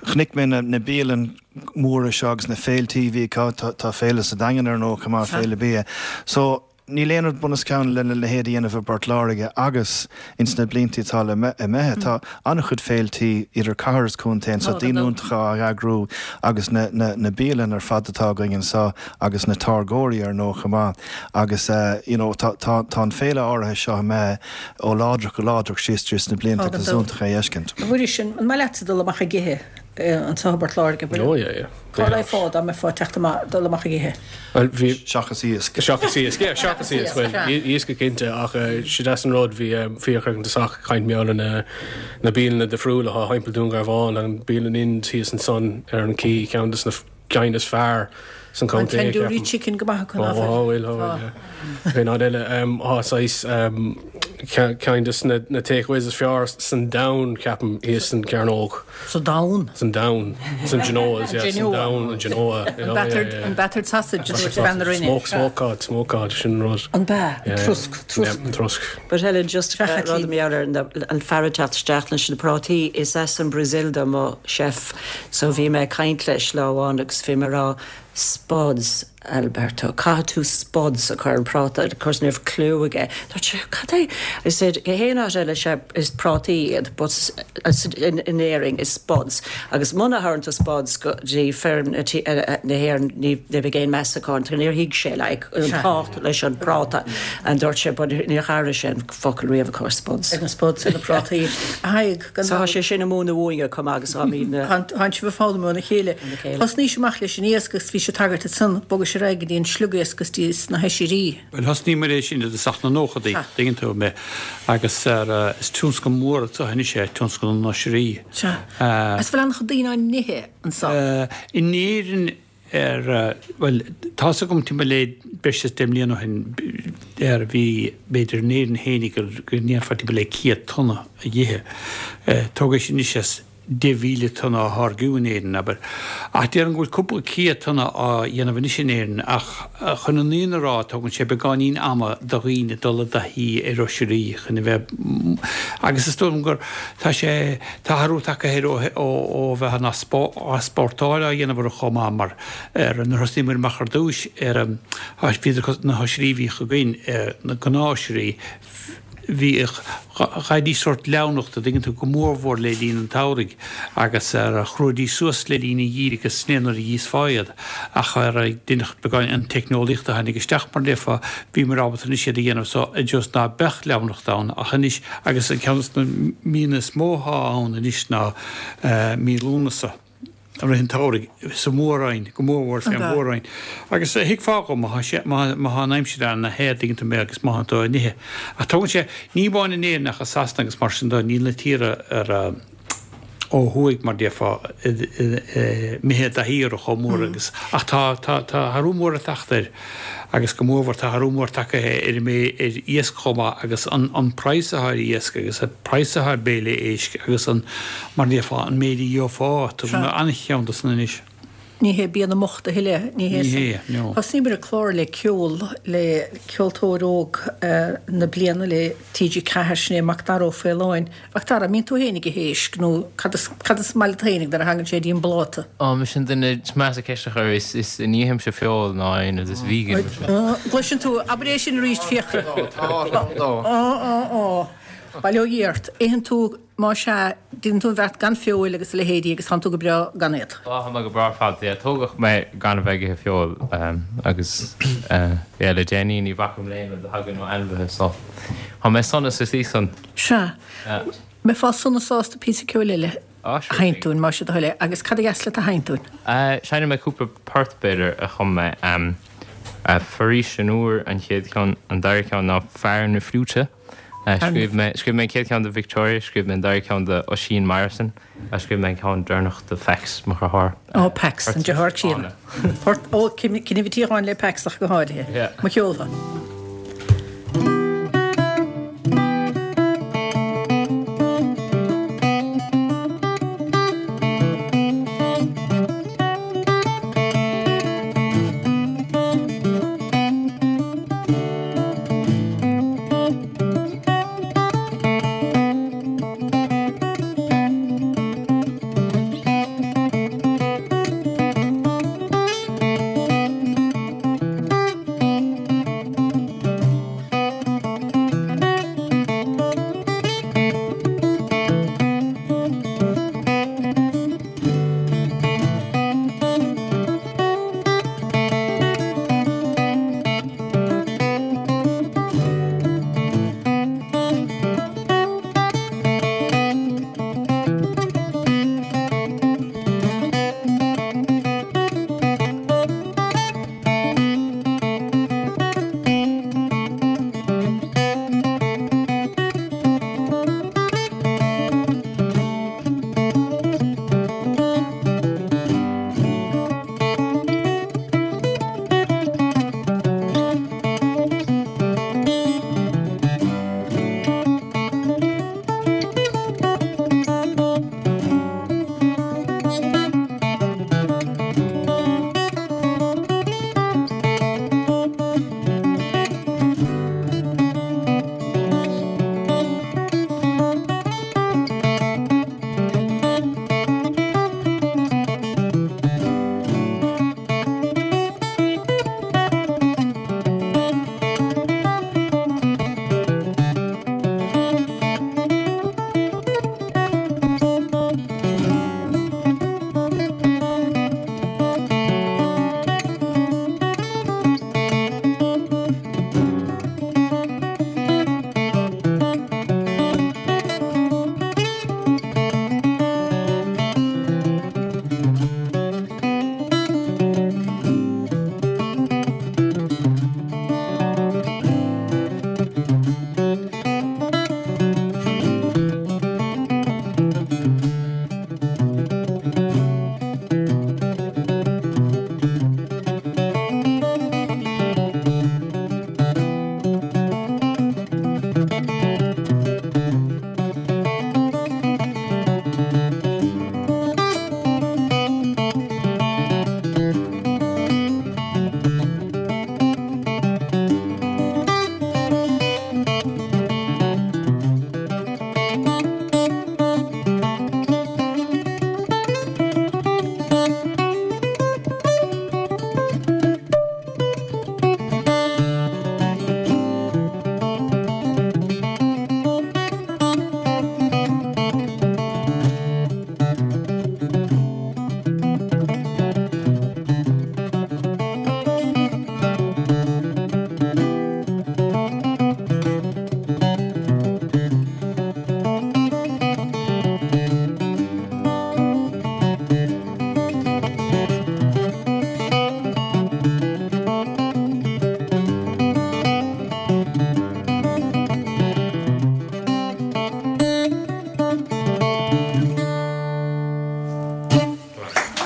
chonaic mé na, na bialanna móra seo agus na féiltí bhí tá tá féile sa Daingean ar nó go féile bia so Níl aon rud bunoscionn lena leithéid a dhéanamh i bPort Láirge agus ins na blianta atá le imithe tá an-chuid féiltí idir cathair is contae so Tá, daoine tá. iontacha á eagrú agus na, na, na bialanna ar fad atá againn anseo agus na táirgeoirí ar ndóigh chomh maith agus uh, you know, tá, tá, tá an féile áirithe seo mé ó láidir go láidir síos tríd na blianta Tá, agus gan dabht. iontach é a fheiscint. Bhfuil sin an maith leat dul amach ag ithe anseo i bPort Láirge. Oh yeah, yeah. Cá bhfeicfeá dá mbeifeá teacht amach dul amach ag ithe. Well, bhí Seachas iasc. Seachas iasc, yeah, seachas iasc, well, Sea. iasc go cinnte ach sé deas an rud bhí Fiachra an sach caint meola na na bialanna difriúla atá thimpeall Dún Garbhán an bialann Ind thíos ansan ar an cí ceann des na cinn is fearr san An contae, tandoori ceapaim. chicken go maith Ó, ó, bhfuil, ó, bhfuil, yeah. Bhí ná eile tá saghas ceann de na na takeaways is fearr san domhan ceapaim thíos san Cearnóg. Sa domhan? San domhan. San Genoa, yeah, san domhan, an Genoa. An battered, an battered sausage a dúirt bean na Rinne. Smoke, smoke cod, smoke cod, sin rud. An bea, an trosc, trosc. Yeah, an trosc. But Helen, just rud mar gheall ar an fear ag teacht isteach leis na prátaí, is as an Brazil do mo chef, so bhí mé ag caint leis lá amháin agus bhí mé ag rá, Spuds, Alberto, caithfidh tú spuds a chur ar an práta, of course ní raibh clue aige. Dúirt sé, cad é? I said, go haon áit eile sea is prátaí iad, but in, in Éirinn is spuds. Agus muna thabhrann tú spuds go dtí feirm na hÉireann ní bheidh aon meas acu ort. Níor thuig sé like, an tábhacht leis an práta. And dúirt sé, but níor chabhraigh sé an focal riamh, of course, spuds. Ag na spuds ar na prátaí. A Thaidhg, gan So tá sé sin ag múineadh uainne chomh maith agus tá na. Tánn sibh ag foghlaim óna chéile. Thosnaís amach leis an iasc agus bhí sé tagairt ansan, bhogais ar aghaidh go dtí an sliogiasc agus dtí na hoisrí. Bhuel, thosnaíomar é sin i dtosach na nóchaidí, tuigeann tú mé, agus is tionscal mór atá anois é, tionscal na n-oisrí. Sea. Agus bhfuil an-chuid daoine á n-ithe anso? In Éirinn ar, bhuel, tá's agam timpeall le breis is deich mbliana ó shin, ar bhí, b'fhéidir in Éirinn fhéinig go ndéanfá timpeall le céad tonna a dh'ithe. Tóg é sin anois as deich mhíle tonna á tháirgiú in Éirinn, abair. Ach déarfainn go bhfuil cúpla céad tonna á dhéanamh anois in Éirinn, ach chun an fhírinne a rá, tógann sé beagáinín ama do dhaoine dul i dtaithí ar oisrí chun a bheith, agus is dóigh liom gur, tá sé, tá athrú tagtha air ó, ó bheith an easpórtáil á dhéanamh orthu chomh maith, mar ar, nuair a thosnaíomar amach ar dtúis ar, bhíodar, na hoisrí a bhíodh againn, na gnáthoisrí, bhíodh, gheibhidís sórt leamhnacht, a' dtuigeann tú, go mórmhór le linn an tsamhraidh agus ar, chruaidís suas le linn an gheimhridh agus sin é nuair a dh'íosfá iad ach ar, deineadh beagán, an teicneolaíocht a tháinig isteach mar a déarfá, bhíomar ábalta anois iad a dhéanamh so i dtreo is ná beadh leamhnacht ann ach anois agus an ceann de na míonna is mó athá ann anois ná mí Lúnasa. I rith an tsamhraidh, sa Mhór-Roinn, go mórmhór fén Mhór-Roinn. Agus thuigfeá dhom má tá sé, má tá an aimsir ana-the, tuigeann tú mé, agus má tá tú á n-ithe. Ach tógann sé, ní amháin in Éirinn ach i Sasana agus mar sin de, níl na tíortha ar, ó thuaidh, mar déarfá, imithe i dtaithí orthu chomh mór agus, ach tá, tá, tá athrú mór ag teacht air. Agus go mórmhór, tá athrú mór tagtha ar an méid, ar iasc chomh maith agus an an praghas atá ar iasc agus an praghas atá ar béile éisc agus an, mar a déarfá, an méid a gheofá, tugann mé an-cheann de san anois. Ní hé bia na mbocht a thuilleadh, ní hé Ní san. hé, no. Thosnaíomar an clár le ceol, le ceoltóir óg na bliana le T G ceathair, sin é Macdara Ó Faoláin. Macdara, an mbíonn tú féin ag ithe éisc nó cad is, cad is maith leat féinig nuair a thagann sé dtí an bpláta? Ó, mise an duine is measa ceist a chur, is, is ní ithimse feoil ná aon rud, is vegan mise. Gcloiseann tú, abair é sin arís, Fiachra. Tá, tá, tá. Á, á, á. Bail ó Dhia ort. Itheann tú, más ea, déanann tú an bheart gan feoil agus a leithéidí agus tánn tú go breá gan iad. Á, tá mé go breá ar fad, yeah. Tógadh mé gan a bheith ag ithe feoil agus, yeah, le déanaí ní bhacaim le aon rud a thagann ó ainmhithe, so tá mé sona sa tslí san. Sea. Mbeifeá sona sásta píosa ceoil eile a sheinnt dúinn, más é do thoil é, agus cad a dheas leat a sheinnt dúinn? Seinnfidh mé cúpla port, b'fhéidir, a chum mé. Foraois an Iúir an chéad cheann, an dara ceann ná Fear na Fliúite. Scríobh mé, scríobh mé an chéad cheann do Victoria, scríobh mé an dara ceann do Oisín Morrison, agus scríobh mé an ceann deireanach do Pheaics, mo dheartháir. Ó, Peaics, an deartháir críonna. Port, ó, Coinnibh an tsíocháin le Peaics ach go háirithe. Mo cheol.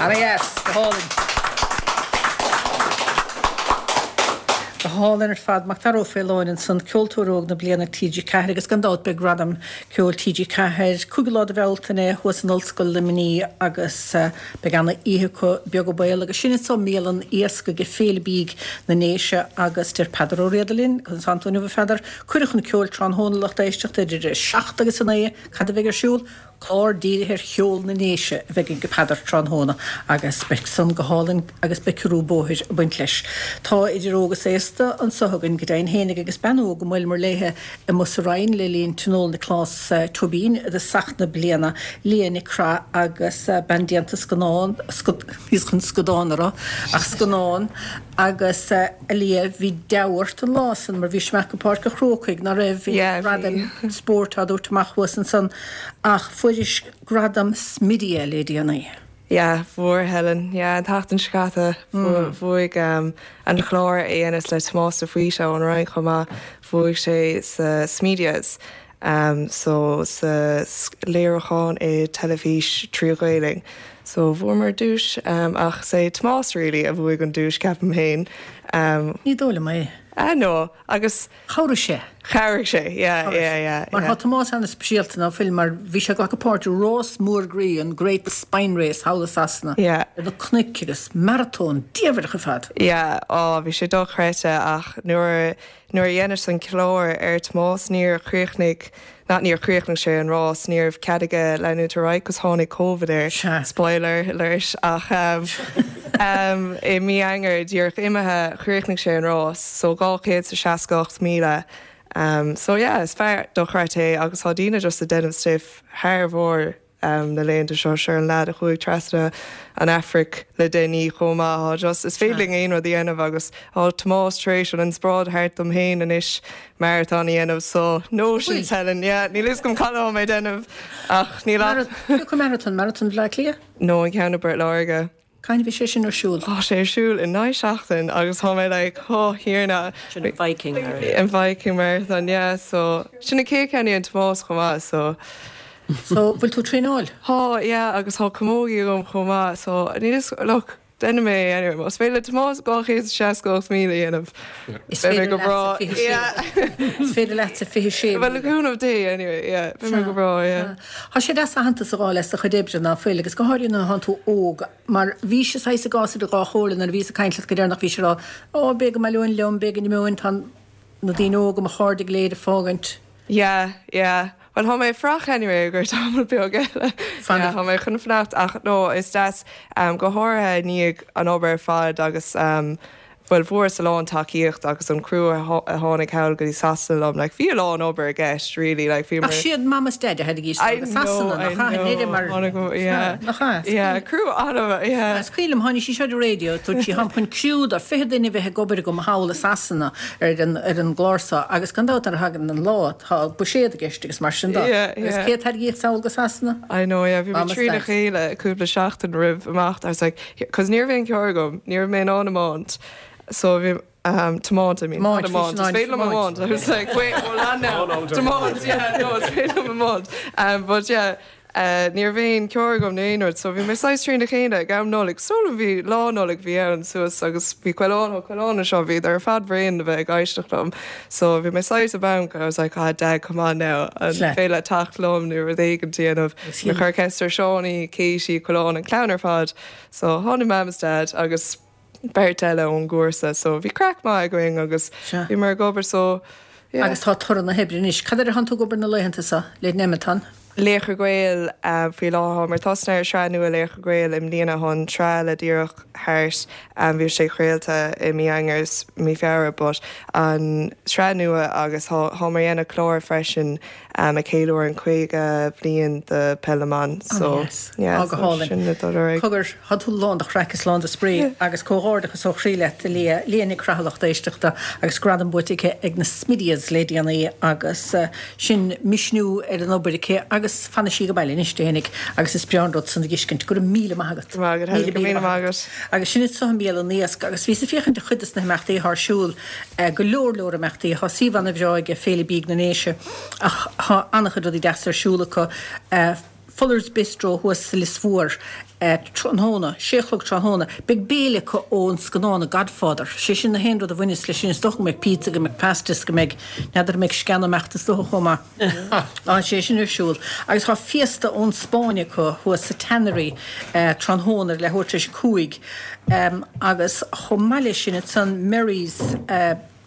Ana-dheas, go hálainn. Go hálainn ar fad. Macdara Ó Faoláin ansan, Ceoltóir Óg na Bliana T G ceathair agus gan dabht beidh Gradam Ceoil T G ceathair cúigiú lá de Bhealtaine thuas in Ollscoil Luimnigh agus beidh ana oíche acu beag an baol agus sin anso i mBialann Iasc ag Féile Bídh na nDéise agus deir Peadar Ó Riada linn, conas tánn tú inniu a Pheadair, cuireadh chun ceoil tráthnóna lucht éisteachta idir a seacht agus a naoi, cad a bheidh ar siúl? Clár dírithe ar cheol na nDéise a bheidh ag Peadar tráthnóna agus beidh san go hálainn agus beidh ciorrú bóthair ag baint leis. Tá idir óg is aosta anso againn go deimhin fhéinig agus bean óg a mbuaileamar léithe amuigh sa Rinn le linn Tionól Nioclás Tóibín i dtosach na bliana, Liadh Nic Craith agus bean déanta scannán, bhíos chun scadán a rá, ach scannán, agus a Liadh bhí deabhadh ort an lá san mar bhís amach go Páirc an Chrócaigh ná raibh, bhí gradaim spóirt á dtabhairt amach thuas ansan ach fuairis gradam Smidia le déanaí. Yeah, fuair Helen. Yeah, an tseachtain seo caite bhuaigh an clár a dhéanas le Tomás de Faoite ón Rinn chomh maith, bhuaigh sé sa Smedias. Um, so sa léiriúchán i teilifís trí Ghaeilge. So bhuamar duais um, ach is é Tomás really a bhuaigh an duais ceapaim féin. Um, Ní dóigh liom é. Ah no, agus Chabhraigh sé. Chabhraigh sé, yeah, yeah, yeah. Mar tá Tomás an-speisialta ná fuil mar bhí sé ag glacadh páirt i rás mór groí an Great Spine Race thall i Sasana. Yeah. Ar na cnoic agus maratón diamhair ar fad. Yeah, ó bhí sé dochreidte ach nuair nuair a dhéanas an clár ar Tomás níor chríochnaigh not níor chríochnaigh sé an rás ní raibh cead aige leanúint ar aghaidh cos tháinig Covid air. Spoiler alert ach um, um, i mí Eanáir díreach imithe chríochnaigh sé an rás so dhá chéad is seasca ocht míle. Um, so yeah, is fear dochreidte é agus tá daoine just ag déanamh stuif thar bharr um, na laethanta seo sure an lad a chuaigh trasna an Afraic le déanaí chomh maith just is féidir linn aon rud a dhéanamh agus tá Tomás tar éis an inspioráid thart dom féin anois maratón a dhéanamh so no sin Helen, yeah, níl fhios agam cad atá mé déanamh ach níl ach Cén maratón maratón Bhaile Átha Cliath? No an ceann i bPort Láirge. Cathain a bhí sé sin ar siúl? Tá sé ar siúl i naoi seachtain agus tá mé like oh Thiarna. Sin an Viking Marathon. An Viking Marathon, yeah, so sin an chéad ceann a dhein Tomás chomh maith so So bhfuil tú traenáil? Tá, yeah, agus tá camógaí agam chomh maith so níl fhios look, déanfaidh mé anyway, más féidir le Tomás dhá chéad is seasca ocht míle a dhéanamh. Is Beidh mé féidir go breá. leatsa fiche sé. Yeah. Is féidir leatsa fiche sé Well, le míle. cúnamh Dé anyway, yeah, beidh mé go breá, yeah. Tá sé deas aitheantas a fháil as do chuid oibre ná fuil agus go háirithe nuair atánn tú óg mar bhí sé saghas i gcás idir dhá chomhairle nuair a bhíos ag caint leat go deireanach bhí sé ag rá ó b'fhéidir go mbaileoinn liom, b'fhéidir go n-imeoinn, tá na daoine óga mo chairde go léir ag fágaint. Yeah, yeah. Well, tá mé frach anyway gur tamall beag eile. Fan Yeah, tá mé chun fanacht ach no, is deas um, go háirithe i ndiaidh an obair ar fad agus um, well fuaireas a lán tacaíocht agus an crew a tháinig thall go dtí Sasana liom, like bhí a lán obair i gceist, really, like bhí Ach siad mam is dad a tháinig I go Sasana, know, nach ea? I Níl mar know. Tháinig, yeah. Nach ea? Yeah, crew an yeah. Is cuimhin liom tháinig sí seo ar radio, dúirt sí táim chun criú de fiche duine bheith ag obair agam thall i Sasana ar an ar an gclár seo agus gan dabht nuair a thagann an lá tá buiséad i gceist agus mar sin de. Yeah, Agus yeah. cé a tháinig sall go Sasana? I know, yeah, bhí mé Mam is trína dad. chéile cúpla seachtain roimh amach. I was like, cos ní raibh aon charr agam, ní raibh mé in ann tiomáint. So bhí um, tiomáint, I mean, Tiomáint, not tiomáint. bhí sin Is féidir liom tiomáint. tiomáint. I was like, wait, hold on now. Tiomáint, yeah, no, is féidir liom tiomáint. Um, but yeah, uh, ní raibh aon charr agam nó aon rud, so bhí mé saghas trína chéile ag am Nollag. So bhí lá Nollag bhí ann suas agus bhí coileán coileán seo bhí ar fad bhréan a bheith ag éisteacht liom. So bhí mé saghas i bponc and I was like, ah, Dad, come on now. An Sea. féidir leat teacht liom nó rud éigin déanamh. Is Me chuir ceist ar Seánie, Katie, Coileán an clann ar fad. So tháinig mam is dad agus beirt eile ón gcúrsa, so bhí craic maith againn agus Sea. bhí mar ag obair so yeah. Agus tá toradh na hoibre anois. Cad air a thánn tú ag obair na laethanta seo le Nemeton? Laochra Gael um, faoi láthair mar tosnaíodh ar sraith nua Laochra Gael i mbliana chun sraith le díreach thart um, bhí sé craolta i mí Eanáir is mí Feabhra, but an sraith nua agus tá mar dhéanamh clár freisin um, ag ceiliúradh an caoga bliain de Peil na mBan so Oh, yes. yeah, Á, go so hálainn. sin na dul ar aghaidh. Cogar thá tú lán de chraic is lán de spraoi agus comhghairdeachas ó chroí leat Liadh Liadh Nic Craith lucht éisteachta agus gradam buaite aici ag na Smidias le déanaí agus uh, sin misniú ar an obair aici agus fanfaidh sí go baile anois déanaigh agus is breá an rud san a fheiscint go raibh míle maith agat. Maith agat, Helen, go míle maith agat. Agus sin so an Bialann Iasc agus bhíos ag féachaint ar chuid de na himeachtaí thar siúl eh, go leor leor imeachtaí tá suíomh an-bhreá ag Féile Bídh na nDéise ach tá an-chuid rudaí deasa ar siúl acu eh, Fuller's Bistro thuas sa Lios Mhór tráthnóna, sé a chlog tráthnóna. Beidh béile acu ón scannán The Godfather. Sé sin an t-aon rud a bhaineas leis sin. Is dócha go mbeidh pizza, go mbeidh pastas, go mbeidh, n'fheadar an mbeidh sceana amach is dócha chomh maith. Tá sé sin ar siúl. Agus tá fiesta ón Spáinn acu thuas sa Tannery tráthnóna ar leathuair tar éis a cúig. Agus chomh maith leis sin ansan Merry's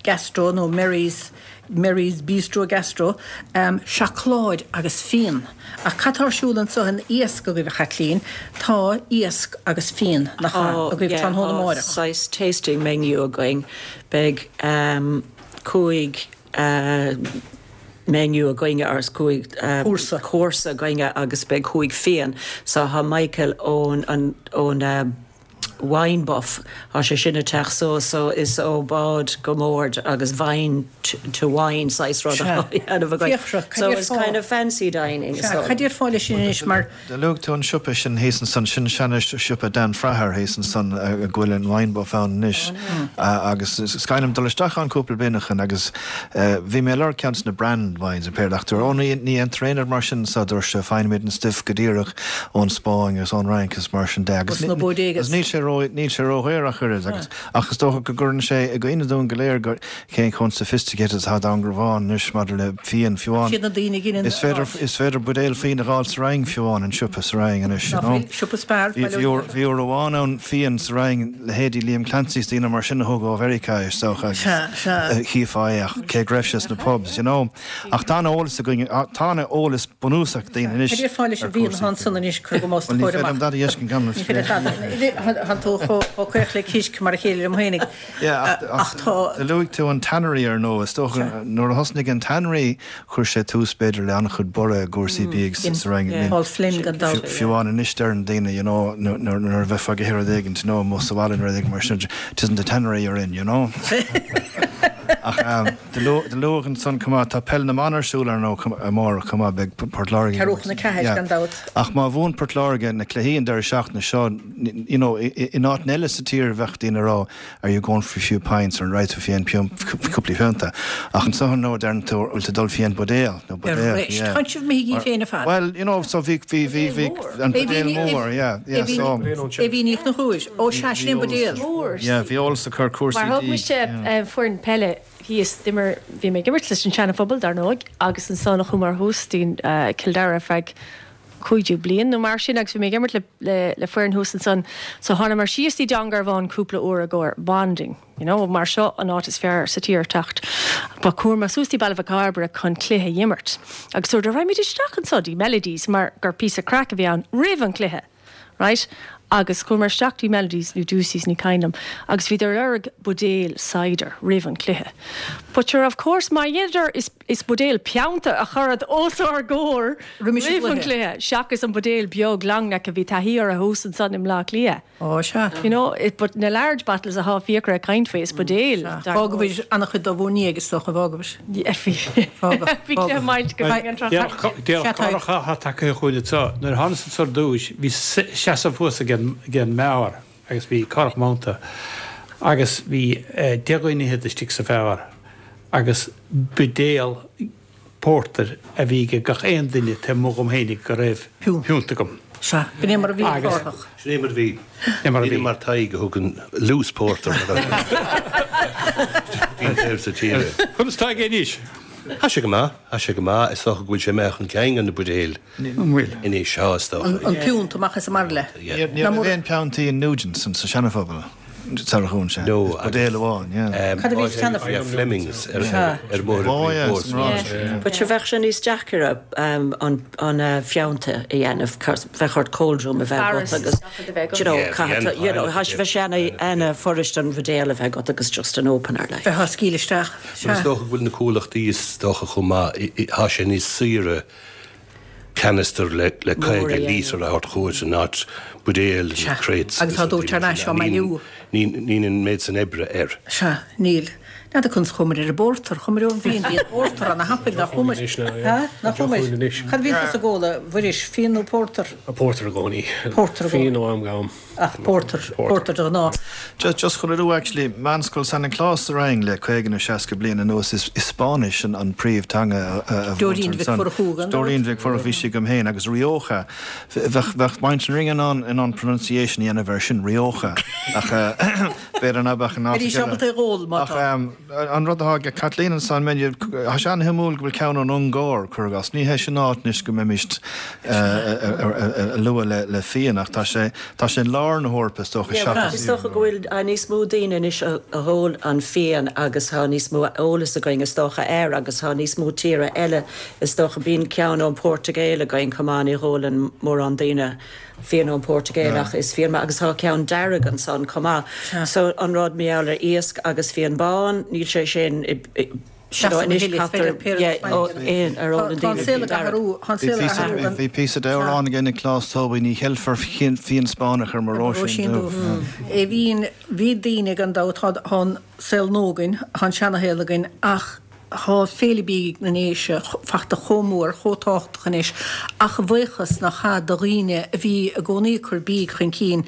Gastro nó Merry's Merry's Bistro Gastro, seacláid agus fíon. Ach cad tá ar siúl anseo in Iasc agaibh, a Chaitlín? Tá iasc agus fíon, nach ea, agaibh tráthnóna amárach? Tá saghas tasting menu againn. Beidh cúig menu againne agus cúig cúrsa againne agus beidh cúig fíon. So tá Michael ón ón Wine Buff, tá sé sin ag teacht suas so is ó bord go bord agus vine to wine saghas rud atá á dhéanamh againn. Fiachra, cad So it's kind of fancy dining so. Cad déarfá leis sin anois mar. Do luaigh tú an siopa sin thíos ansan, sin seana-siopa Dan Fraher thíos ansan a bhfuil an Wine Buff ann anois agus is cuimhin liom dul isteach ann cúpla bliain ó shin agus bhí mé ag lorg ceann de na brand wines a péire ach dúirt ó ní dhéantar aon rud mar sin anseo dúirt sé faighimid an stuif go díreach ón Spáinn agus ón Fhrainc is mar sin de agus Ó sna bodegas. níl sé ró níl sé ródhaor ach oiread agus ach is dócha go gcuireann sé i gcuimhne dúinn go léir go cén chomh sophisticated atá Dún Garbhán anois maidir le fíon fiú amháin. Siad na daoine a ghineann Is féidir is féidir buidéal fíon a fháil sa Rinn fiú amháin in siopa sa Rinn anois you know. Siopa Spar Bhí bhí uair bhí uair amháin ann fíon sa Rinn leithéidí Liam Clancy is daoine mar sin a thug ó Mheiriceá é is dócha agus Sea, sea. chífeá é ach cé go raibh sé sna pubs you know. Ach tá an-eolas againn tá an-eolas bunúsach ag daoine anois Cad déarfá leis ar an bhfíon chúrsaí atá ansan fíon. anois cuir go mos Bhuel ní chóir féidir amach. liom dada a fheiscint gan Ní féidir dada. Tá tú chomh caoch le císc mar a chéile liom fhéinig. Yeah, ach Ach tá. Do luaigh tú an Tannery ar ndóigh. Is dócha nuair a thosnaigh an Tannery chuir sé tús b'fhéidir le an-chuid borradh i gcúrsaí bídh sa Rinn. I mean, Paul Flynn gan dabht. Fiú amháin anois deireann daoine, you know, nuair a bheifeá ag ithe rud éigin, you know, amuigh sa bhaile nó rud éigin mar sin, 'tis in the Tannery you're in, you know. Ach do luadh ansan chomh maith, tá Peil na mBan ar siúl ar ndóigh amárach chomh maith, beidh Port Láirge. Ceathrú chun a ceathair gan dabht. Ach má bhuann Port Láirge na cluichí an deireadh seachtaine seo, you know, in áit eile sa tír bheadh daoine ag rá are you going for a few pints or an raghaidh tú fé cheann cúpla pionta. Ach anso ar ndóigh deireann tú bhfuil tú ag dul fé buidéal nó buidéal, yeah. Tá sibh imithe féin ar fad. Well, you know, so bhí bhí bhí bhí an buidéal mór, yeah, yeah, so. Aoibhín Ní Chonchúir, ó sea, sin é an buidéal. Yeah, bhí eolas ag cur cúrsaí Mar thug mise foireann peile thíos, d'imir, bhí mé ag imirt leis an Seana-Phobal dar ndóigh agus ansan chuamar thuas dtí Cill Dara ar feadh cúig déag bliain nó mar sin agus bhí mé ag imirt le, le, le foireann thuas ansan so thánamar síos dtí Dún Garbhán cúpla uair i gcomhair bonding, you know, mar seo an áit is fearr sa tír teacht. But chuamar suas dtí Baile Mhic Cairbre chun cluiche a dh'imirt agus dúradar raghaimid isteach anso dtí Melodies mar gur píosa craic a bhí ann roimh an cluiche. Right? Agus chuamar isteach dtí Melodies nó Doocey's ní cuimhin liom agus bhíodar ag lorg buidéal cider roimh an cluiche. But sure of course má dheineadar is is buidéal pionta a chuireadar os ár gcomhair Roimis an roimh an gcluiche. cluiche seachas an buidéal beag long neck a bhí taithí orthu thuas ansan i mBleá Cliath. Ó sea. You know, it, but na large bottles athá Fiachra ag caint faoi is buidéal Sea. dar Fágfaidh an-chuid dá bhur ndiaidh is dócha, fágfaidh. Yeah, bhí Fágadh, bhí cluiche fágadh. maith go bhfeidh an tráth. Déarfadh Sea, Tadhg. cárach atá tagtha chugainn anseo. Nuair a thánas anso ar dtúis bhí seasamh thuas ag an ag an mbeár agus bhí cárthach monnta agus bhí deich dhuine fhichead istigh sa bheár agus buidéal pórtair a bhí ag gach aon duine taobh amuigh dhom fhéinig go raibh piúnt agam. Sea, b'in é mar a bhí Agus- Cárthach. Sin é mar a bhí. É mar a Ní bhí. mar Tadhg a thugann loose porter. Bhí taobh sa tíre. Conas tá aige anois? Tá sé go maith, tá sé go maith, is dócha go bhfuil sé imithe chun cinn an na buidéil An bhfuil? anois seo is dócha. An piúnt amach is amar le. Yeah. Ní raibh aon piontaí in Nugent's sa Seana-Phobal sar a dhún sé. No, Buidéal amháin, yeah. Cad a bhí sa Seana-Phobal? Yeah, Flemings ar ar mbóthar Oh, yeah, Bríd san Ráis. But sure bheadh sé níos deacair um, an, an uh, phionta a dhéanamh bheadh ort cold room a bheith Fearas agat agus is a bheith agat. you know, Yeah, caithfidh- bhí you know, an- tá sé bheith sé ana fuirist an bhuidéal a bheith agat agus just an opener like. Bheith á scaoileadh isteach. Is dócha go bhfuil na comhlachtaí is dócha chomh maith tá sé níos saoire canister le le caoga a dhéanamh. lítear a thabhairt chugat in áit buidéil agus crates. Agus tá dóite thar n-ais á mbailiú. Níl an méid san oibre air. Sea, níl. N'fheadar conas chuamar ar an bpórtar, chuamar ón bhfíon, bhí an pórtar ana thapaidh, nach chuamar? Ha? Nach chuamar? Cad a bhíonn tusa ag ól, a Mhuiris, fíon nó pórtar? Pórtar i gcónaí. Pórtar i gcónaí. Fíon ó am go ham. Ach pórtar, pórtar de ghnáth. Just, just chun a rá actually, Meánscoil San Nioclás sa Rinn le caoga nó seasca bliain anuas, is, is Spáinnis an, an príomh-teanga a, a Dóirín Mhic Mhurchú, gan dabht. Dóirín Mhic Mhurchú, bhí sí agam féin, agus Rioja. Bheadh, bheadh muintir an Rinn in ann, in ann pronunciation a dhéanamh air sin, Rioja. Ach b'fhéidir ná beadh in áit Bheidís ábalta é dh'ól, má Ach tá. an rud atá ag Kathleen ansan, tá sé an-shuimiúil go bhfuil ceann ón Ungáir, cuir i gcás. Ní hé sin áit anois go mbeimist a lua le fíon, ach tá sé, tá sé in lár na hEorpa is dócha seachas. Is dócha go bhfuil níos mó daoine anois a dh'ól an fíon agus tá níos mó eolas againn is dócha air agus tá níos mó tíre eile is dócha. Bíonn ceann ón Portaingéil againn chomh maith, ní dh'ólann mórán daoine fíon ón Portaingéil ach is fíon maith agus tá ceann dearg ansan chomh maith. So an rud mar gheall ar iasc agus fíon bán, níl sé sin i, i, you know, anois caitear, yeah, ó, aon, ar ólann Tá an daoine saol fíon ag dearg. athrú, tá an saol ag athrú gan. Bhí píosa d'amhrán aige Nioclás Tóibín, ní cheilfear fíon Spáinneach ar mo Róisín róisín dubh. dubh. Bhíonn, bhí daoine gan dabht, tá, tá an saol nua againn, tá an seanashaol againn ach Tá Féile Bídh na nDéise fachta chomh mór, chomh tábhachtach anois, ach a bhuíochas nach ea do dhaoine a bhí i gcónaí ag cur bídh chun cinn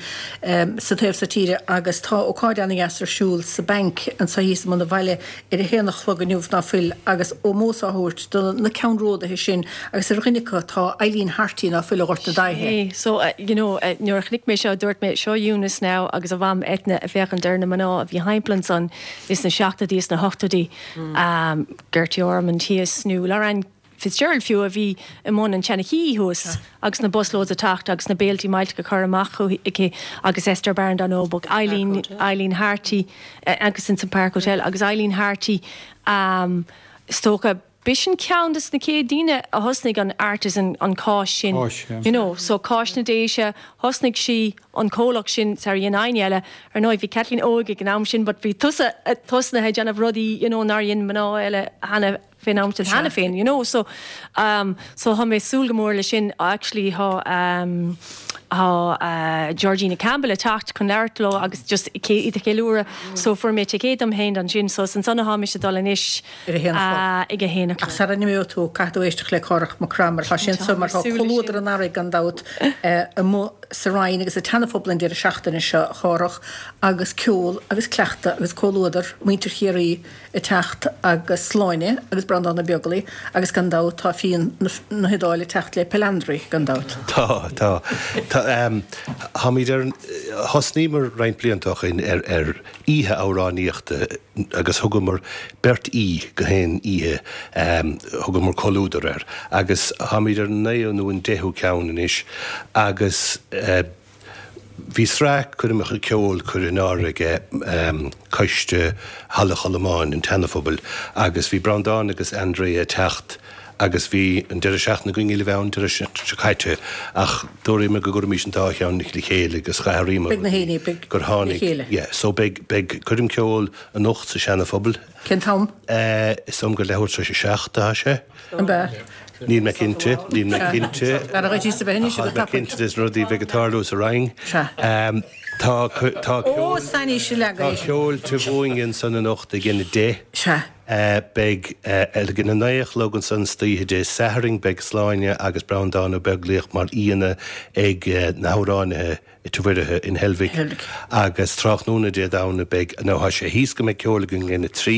sa taobh so tíre agus tá ócáid ana-dheas ar siúl sa Bank anseo thíos i mbun an bhaile ar a haon a chlog inniu ná fuil agus ómós á thabhairt do na ceannródaithe sin agus ar dhuine acu tá Eileen Harty ná fuil ó Ghort na Daighthe. So, you know, nuair a chonaic mé seo dúirt mé seo Eunice now agus a mham Eithne ag féachaint ar na mná a bhí thimpeall ansan is na seachtóidí is na hochtóidí. Gertie Ormond thíos nó Lorraine Fitzgerald fiú a bhí i mbun an tseana-Ché thuas agus na busloads ag teacht agus na béiltí millteacha á gcur amach aici agus Esther Barron dar ndóigh but Eileen Eileen Harty agus ins an Park Hotel agus Eileen Harty um, is dócha b'shin ceann des na chéad daoine a thosnaigh an artisan an cáis sin. Cáis, yeah. You know, so cáis na Déise, thosnaigh sí an comhlacht sin sar dhein éinne eile. Ar ndóigh bhí Kathleen óg ag an am sin, but bhí tusa tosnaithe ag déanamh rudaí, you know, nár dhein mná eile cheana fén am sin cheana féin, you know. So, um, so tá mé ag súil go mór le sin. Actually tá um, tá uh, Georgina Campbell ag teacht chun labhairt leo agus just iad a cheiliúradh. So fuair mé ticéad dom féin ansin, so ansan atá mise ag dul anois Ar a haon a chlog. uh, ag a haon a Ach chlog. sara n-imeoidh tú, caithfidh tú éisteacht le Cárthach Mac Craith mar tá sé anso mar tá comhluadar an earraigh gan dabht amuigh sa Rinn agus sa tSeana-Phobal an deireadh seachtaine seo, a Chárthach, agus ceol agus cleachtadh agus comhluadar, muintir Chiarraí ag teacht agus Sláine agus Breandán Ó Beaglaoich agus gan dabht tá fíon na hIodáile ag teacht le Pelandri gan dabht. Tá, tá. Tá, táimid ar, thosnaíomar roinnt blianta ó shin ar ar oíche amhránaíochta agus thugamar beirt aoi go haon oíche, thugamar Comhluadar air agus táimid ar an naoú nó an deichiú ceann anois agus bhí sraith coirmeacha ceoil curtha in áirithe ag Coiste Halla Cholmáin an tSeana-Phobail agus bhí Breandán agus Andrea ag teacht agus bhí an deireadh seachtaine againn le bheith ann deireadh seo caite ach dúramar go gcuirfimis an dá cheann le chéile agus d'athraíomar Beidh na héinne, beidh gur le tháinig, chéile. yeah, so beidh, beidh coirm ceoil anocht sa Seana-Phobal. Cén t-am? Eh, is dóigh liom gur leathuair tar éis a seacht atá sé. An b'ea? Níl mé cinnte, níl mé cinnte. B'fhearr dhuit a bheith anois Tá go mé tapaidh. cinnte des na rudaí a bheidh ag tarlú sa Rinn. Sea. Tá, tá Ó, ceol, sainíse tá leagadh. ceol taibh ansan anocht ag a deich. Sea. Beidh ag a naoi a chlog ansan istoíche Dé Sathairn beidh Sláine agus Breandán Ó Beaglaoich mar aíonna ag na hamhránaithe i Tigh Mhuirithe in Heilbhic agus tráthnóna Dé Domhnaigh beidh, nó tá sé thíos go mbeidh ceol againn ag a trí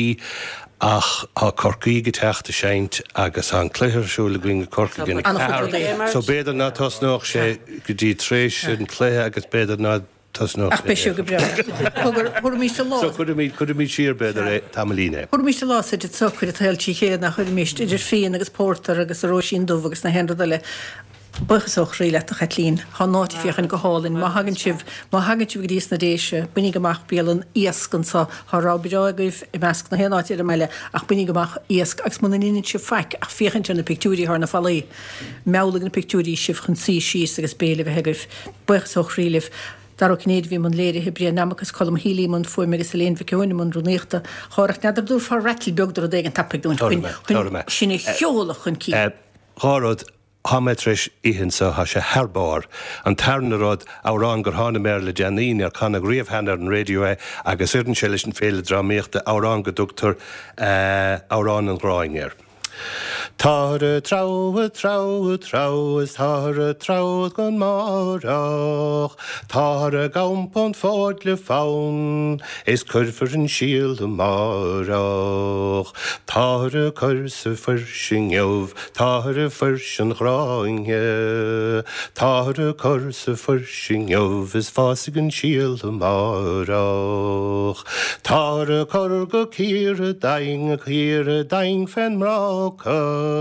ach tá Corcaígh ag teacht ag seinnt agus tá an cluiche ar siúl againn i Corcaigh ag a ceathair so b'fhéidir ná tosnódh sé go dtí tar éis an cluiche agus b'fhéidir ná tosnódh Ach beidh sé go breá. Cogar, thabharfaimis an lá. So cuirimid, cuirimid siar b'fhéidir é tamaillín é. Thabharfaimis an lá suite socair an tsaoil trí chéile nach chuirimist idir fíon agus pórtar agus an róisín dubh agus na haon rud eile. Buíochas ó chroí leat a Chaitlín. Tá an áit ag féachaint go hálainn. Má thagann sibh, má thagann sibh go dtí sna Déise, bainíg amach bialann iasc anso. Tá rogha breá agaibh i measc na haon áit ar an mbaile ach bainíg amach iasc agus muna ndeineann sibh faic ach féachaint ar na pictiúirí thar na fallaí, meallfaidh na pictiúirí sibh chun suí síos agus béile a bheith agaibh. Buíochas ó chroí libh. Dara Ó Cinnéide a bhí i mbun léirithe, Brian Nammock agus Colm Healy i mbun fuaime agus Elaine Mhic Eoin i mbun rúnaíochta. A Chárthaigh, n'fheadar an dtabharfá rattle beag de rud éigin tapaidh dúinn chun, chun sinn a sheoladh chun cinn. Dhá rud. Tá mé tar éis ithe anseo, tá sé thar barr. An tarna rud, amhrán gur tháinig mé air le déanaí, níor canadh riamh cheana ar an raidió é agus oireann sé leis an Féile Drámaíochta, amhrán go dtugtar Amhrán an Ghráin air. Táthar ag treabhadh, treabhadh, treabhadh is táthar ag treabhadh gan márach. Táthar ag iompó an fóid le fonn is cuirfear an síol amárach. Táthar ag cur sa fuirse inniu, táthar ag fuirse an ghráinne. Táthar ag cur sa fuirse inniu is fásfaidh an síol amárach. Táthar ag cur go Ciarra Daing, Ciarra Daing fén mbráca.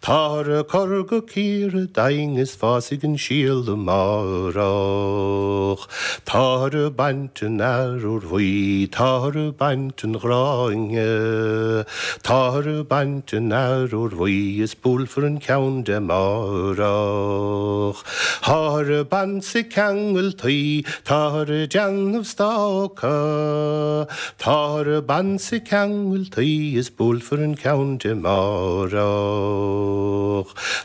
Táthar ag cur go Ciarra Daing is fásfaidh an síol amárach. Táthar ag baint an arbhair bhuí, táthar ag baint an ghráinne. Táthar ag baint an arbhair bhuí is buailfear an ceann de amárach. Táthar ag baint 's ag ceangal tuí, táthar ag déanamh stáca. Táthar ag baint 's ag ceangal tuí is buailfear an ceann de amárach.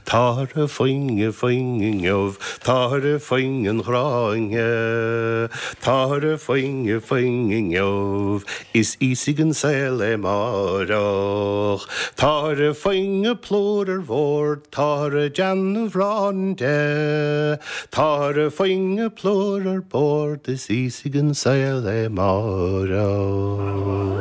Táthar ag faing, ag faing inniu, táthar ag faing an ghráinne. Táthar ag faing, ag faing inniu, is íosfaidh an saol é amárach. Táthar ag faing an plúr ar bord, táthar ag déanamh arán de. Táthar ag faing an plúr ar bord, is íosfaidh an saol é amárach.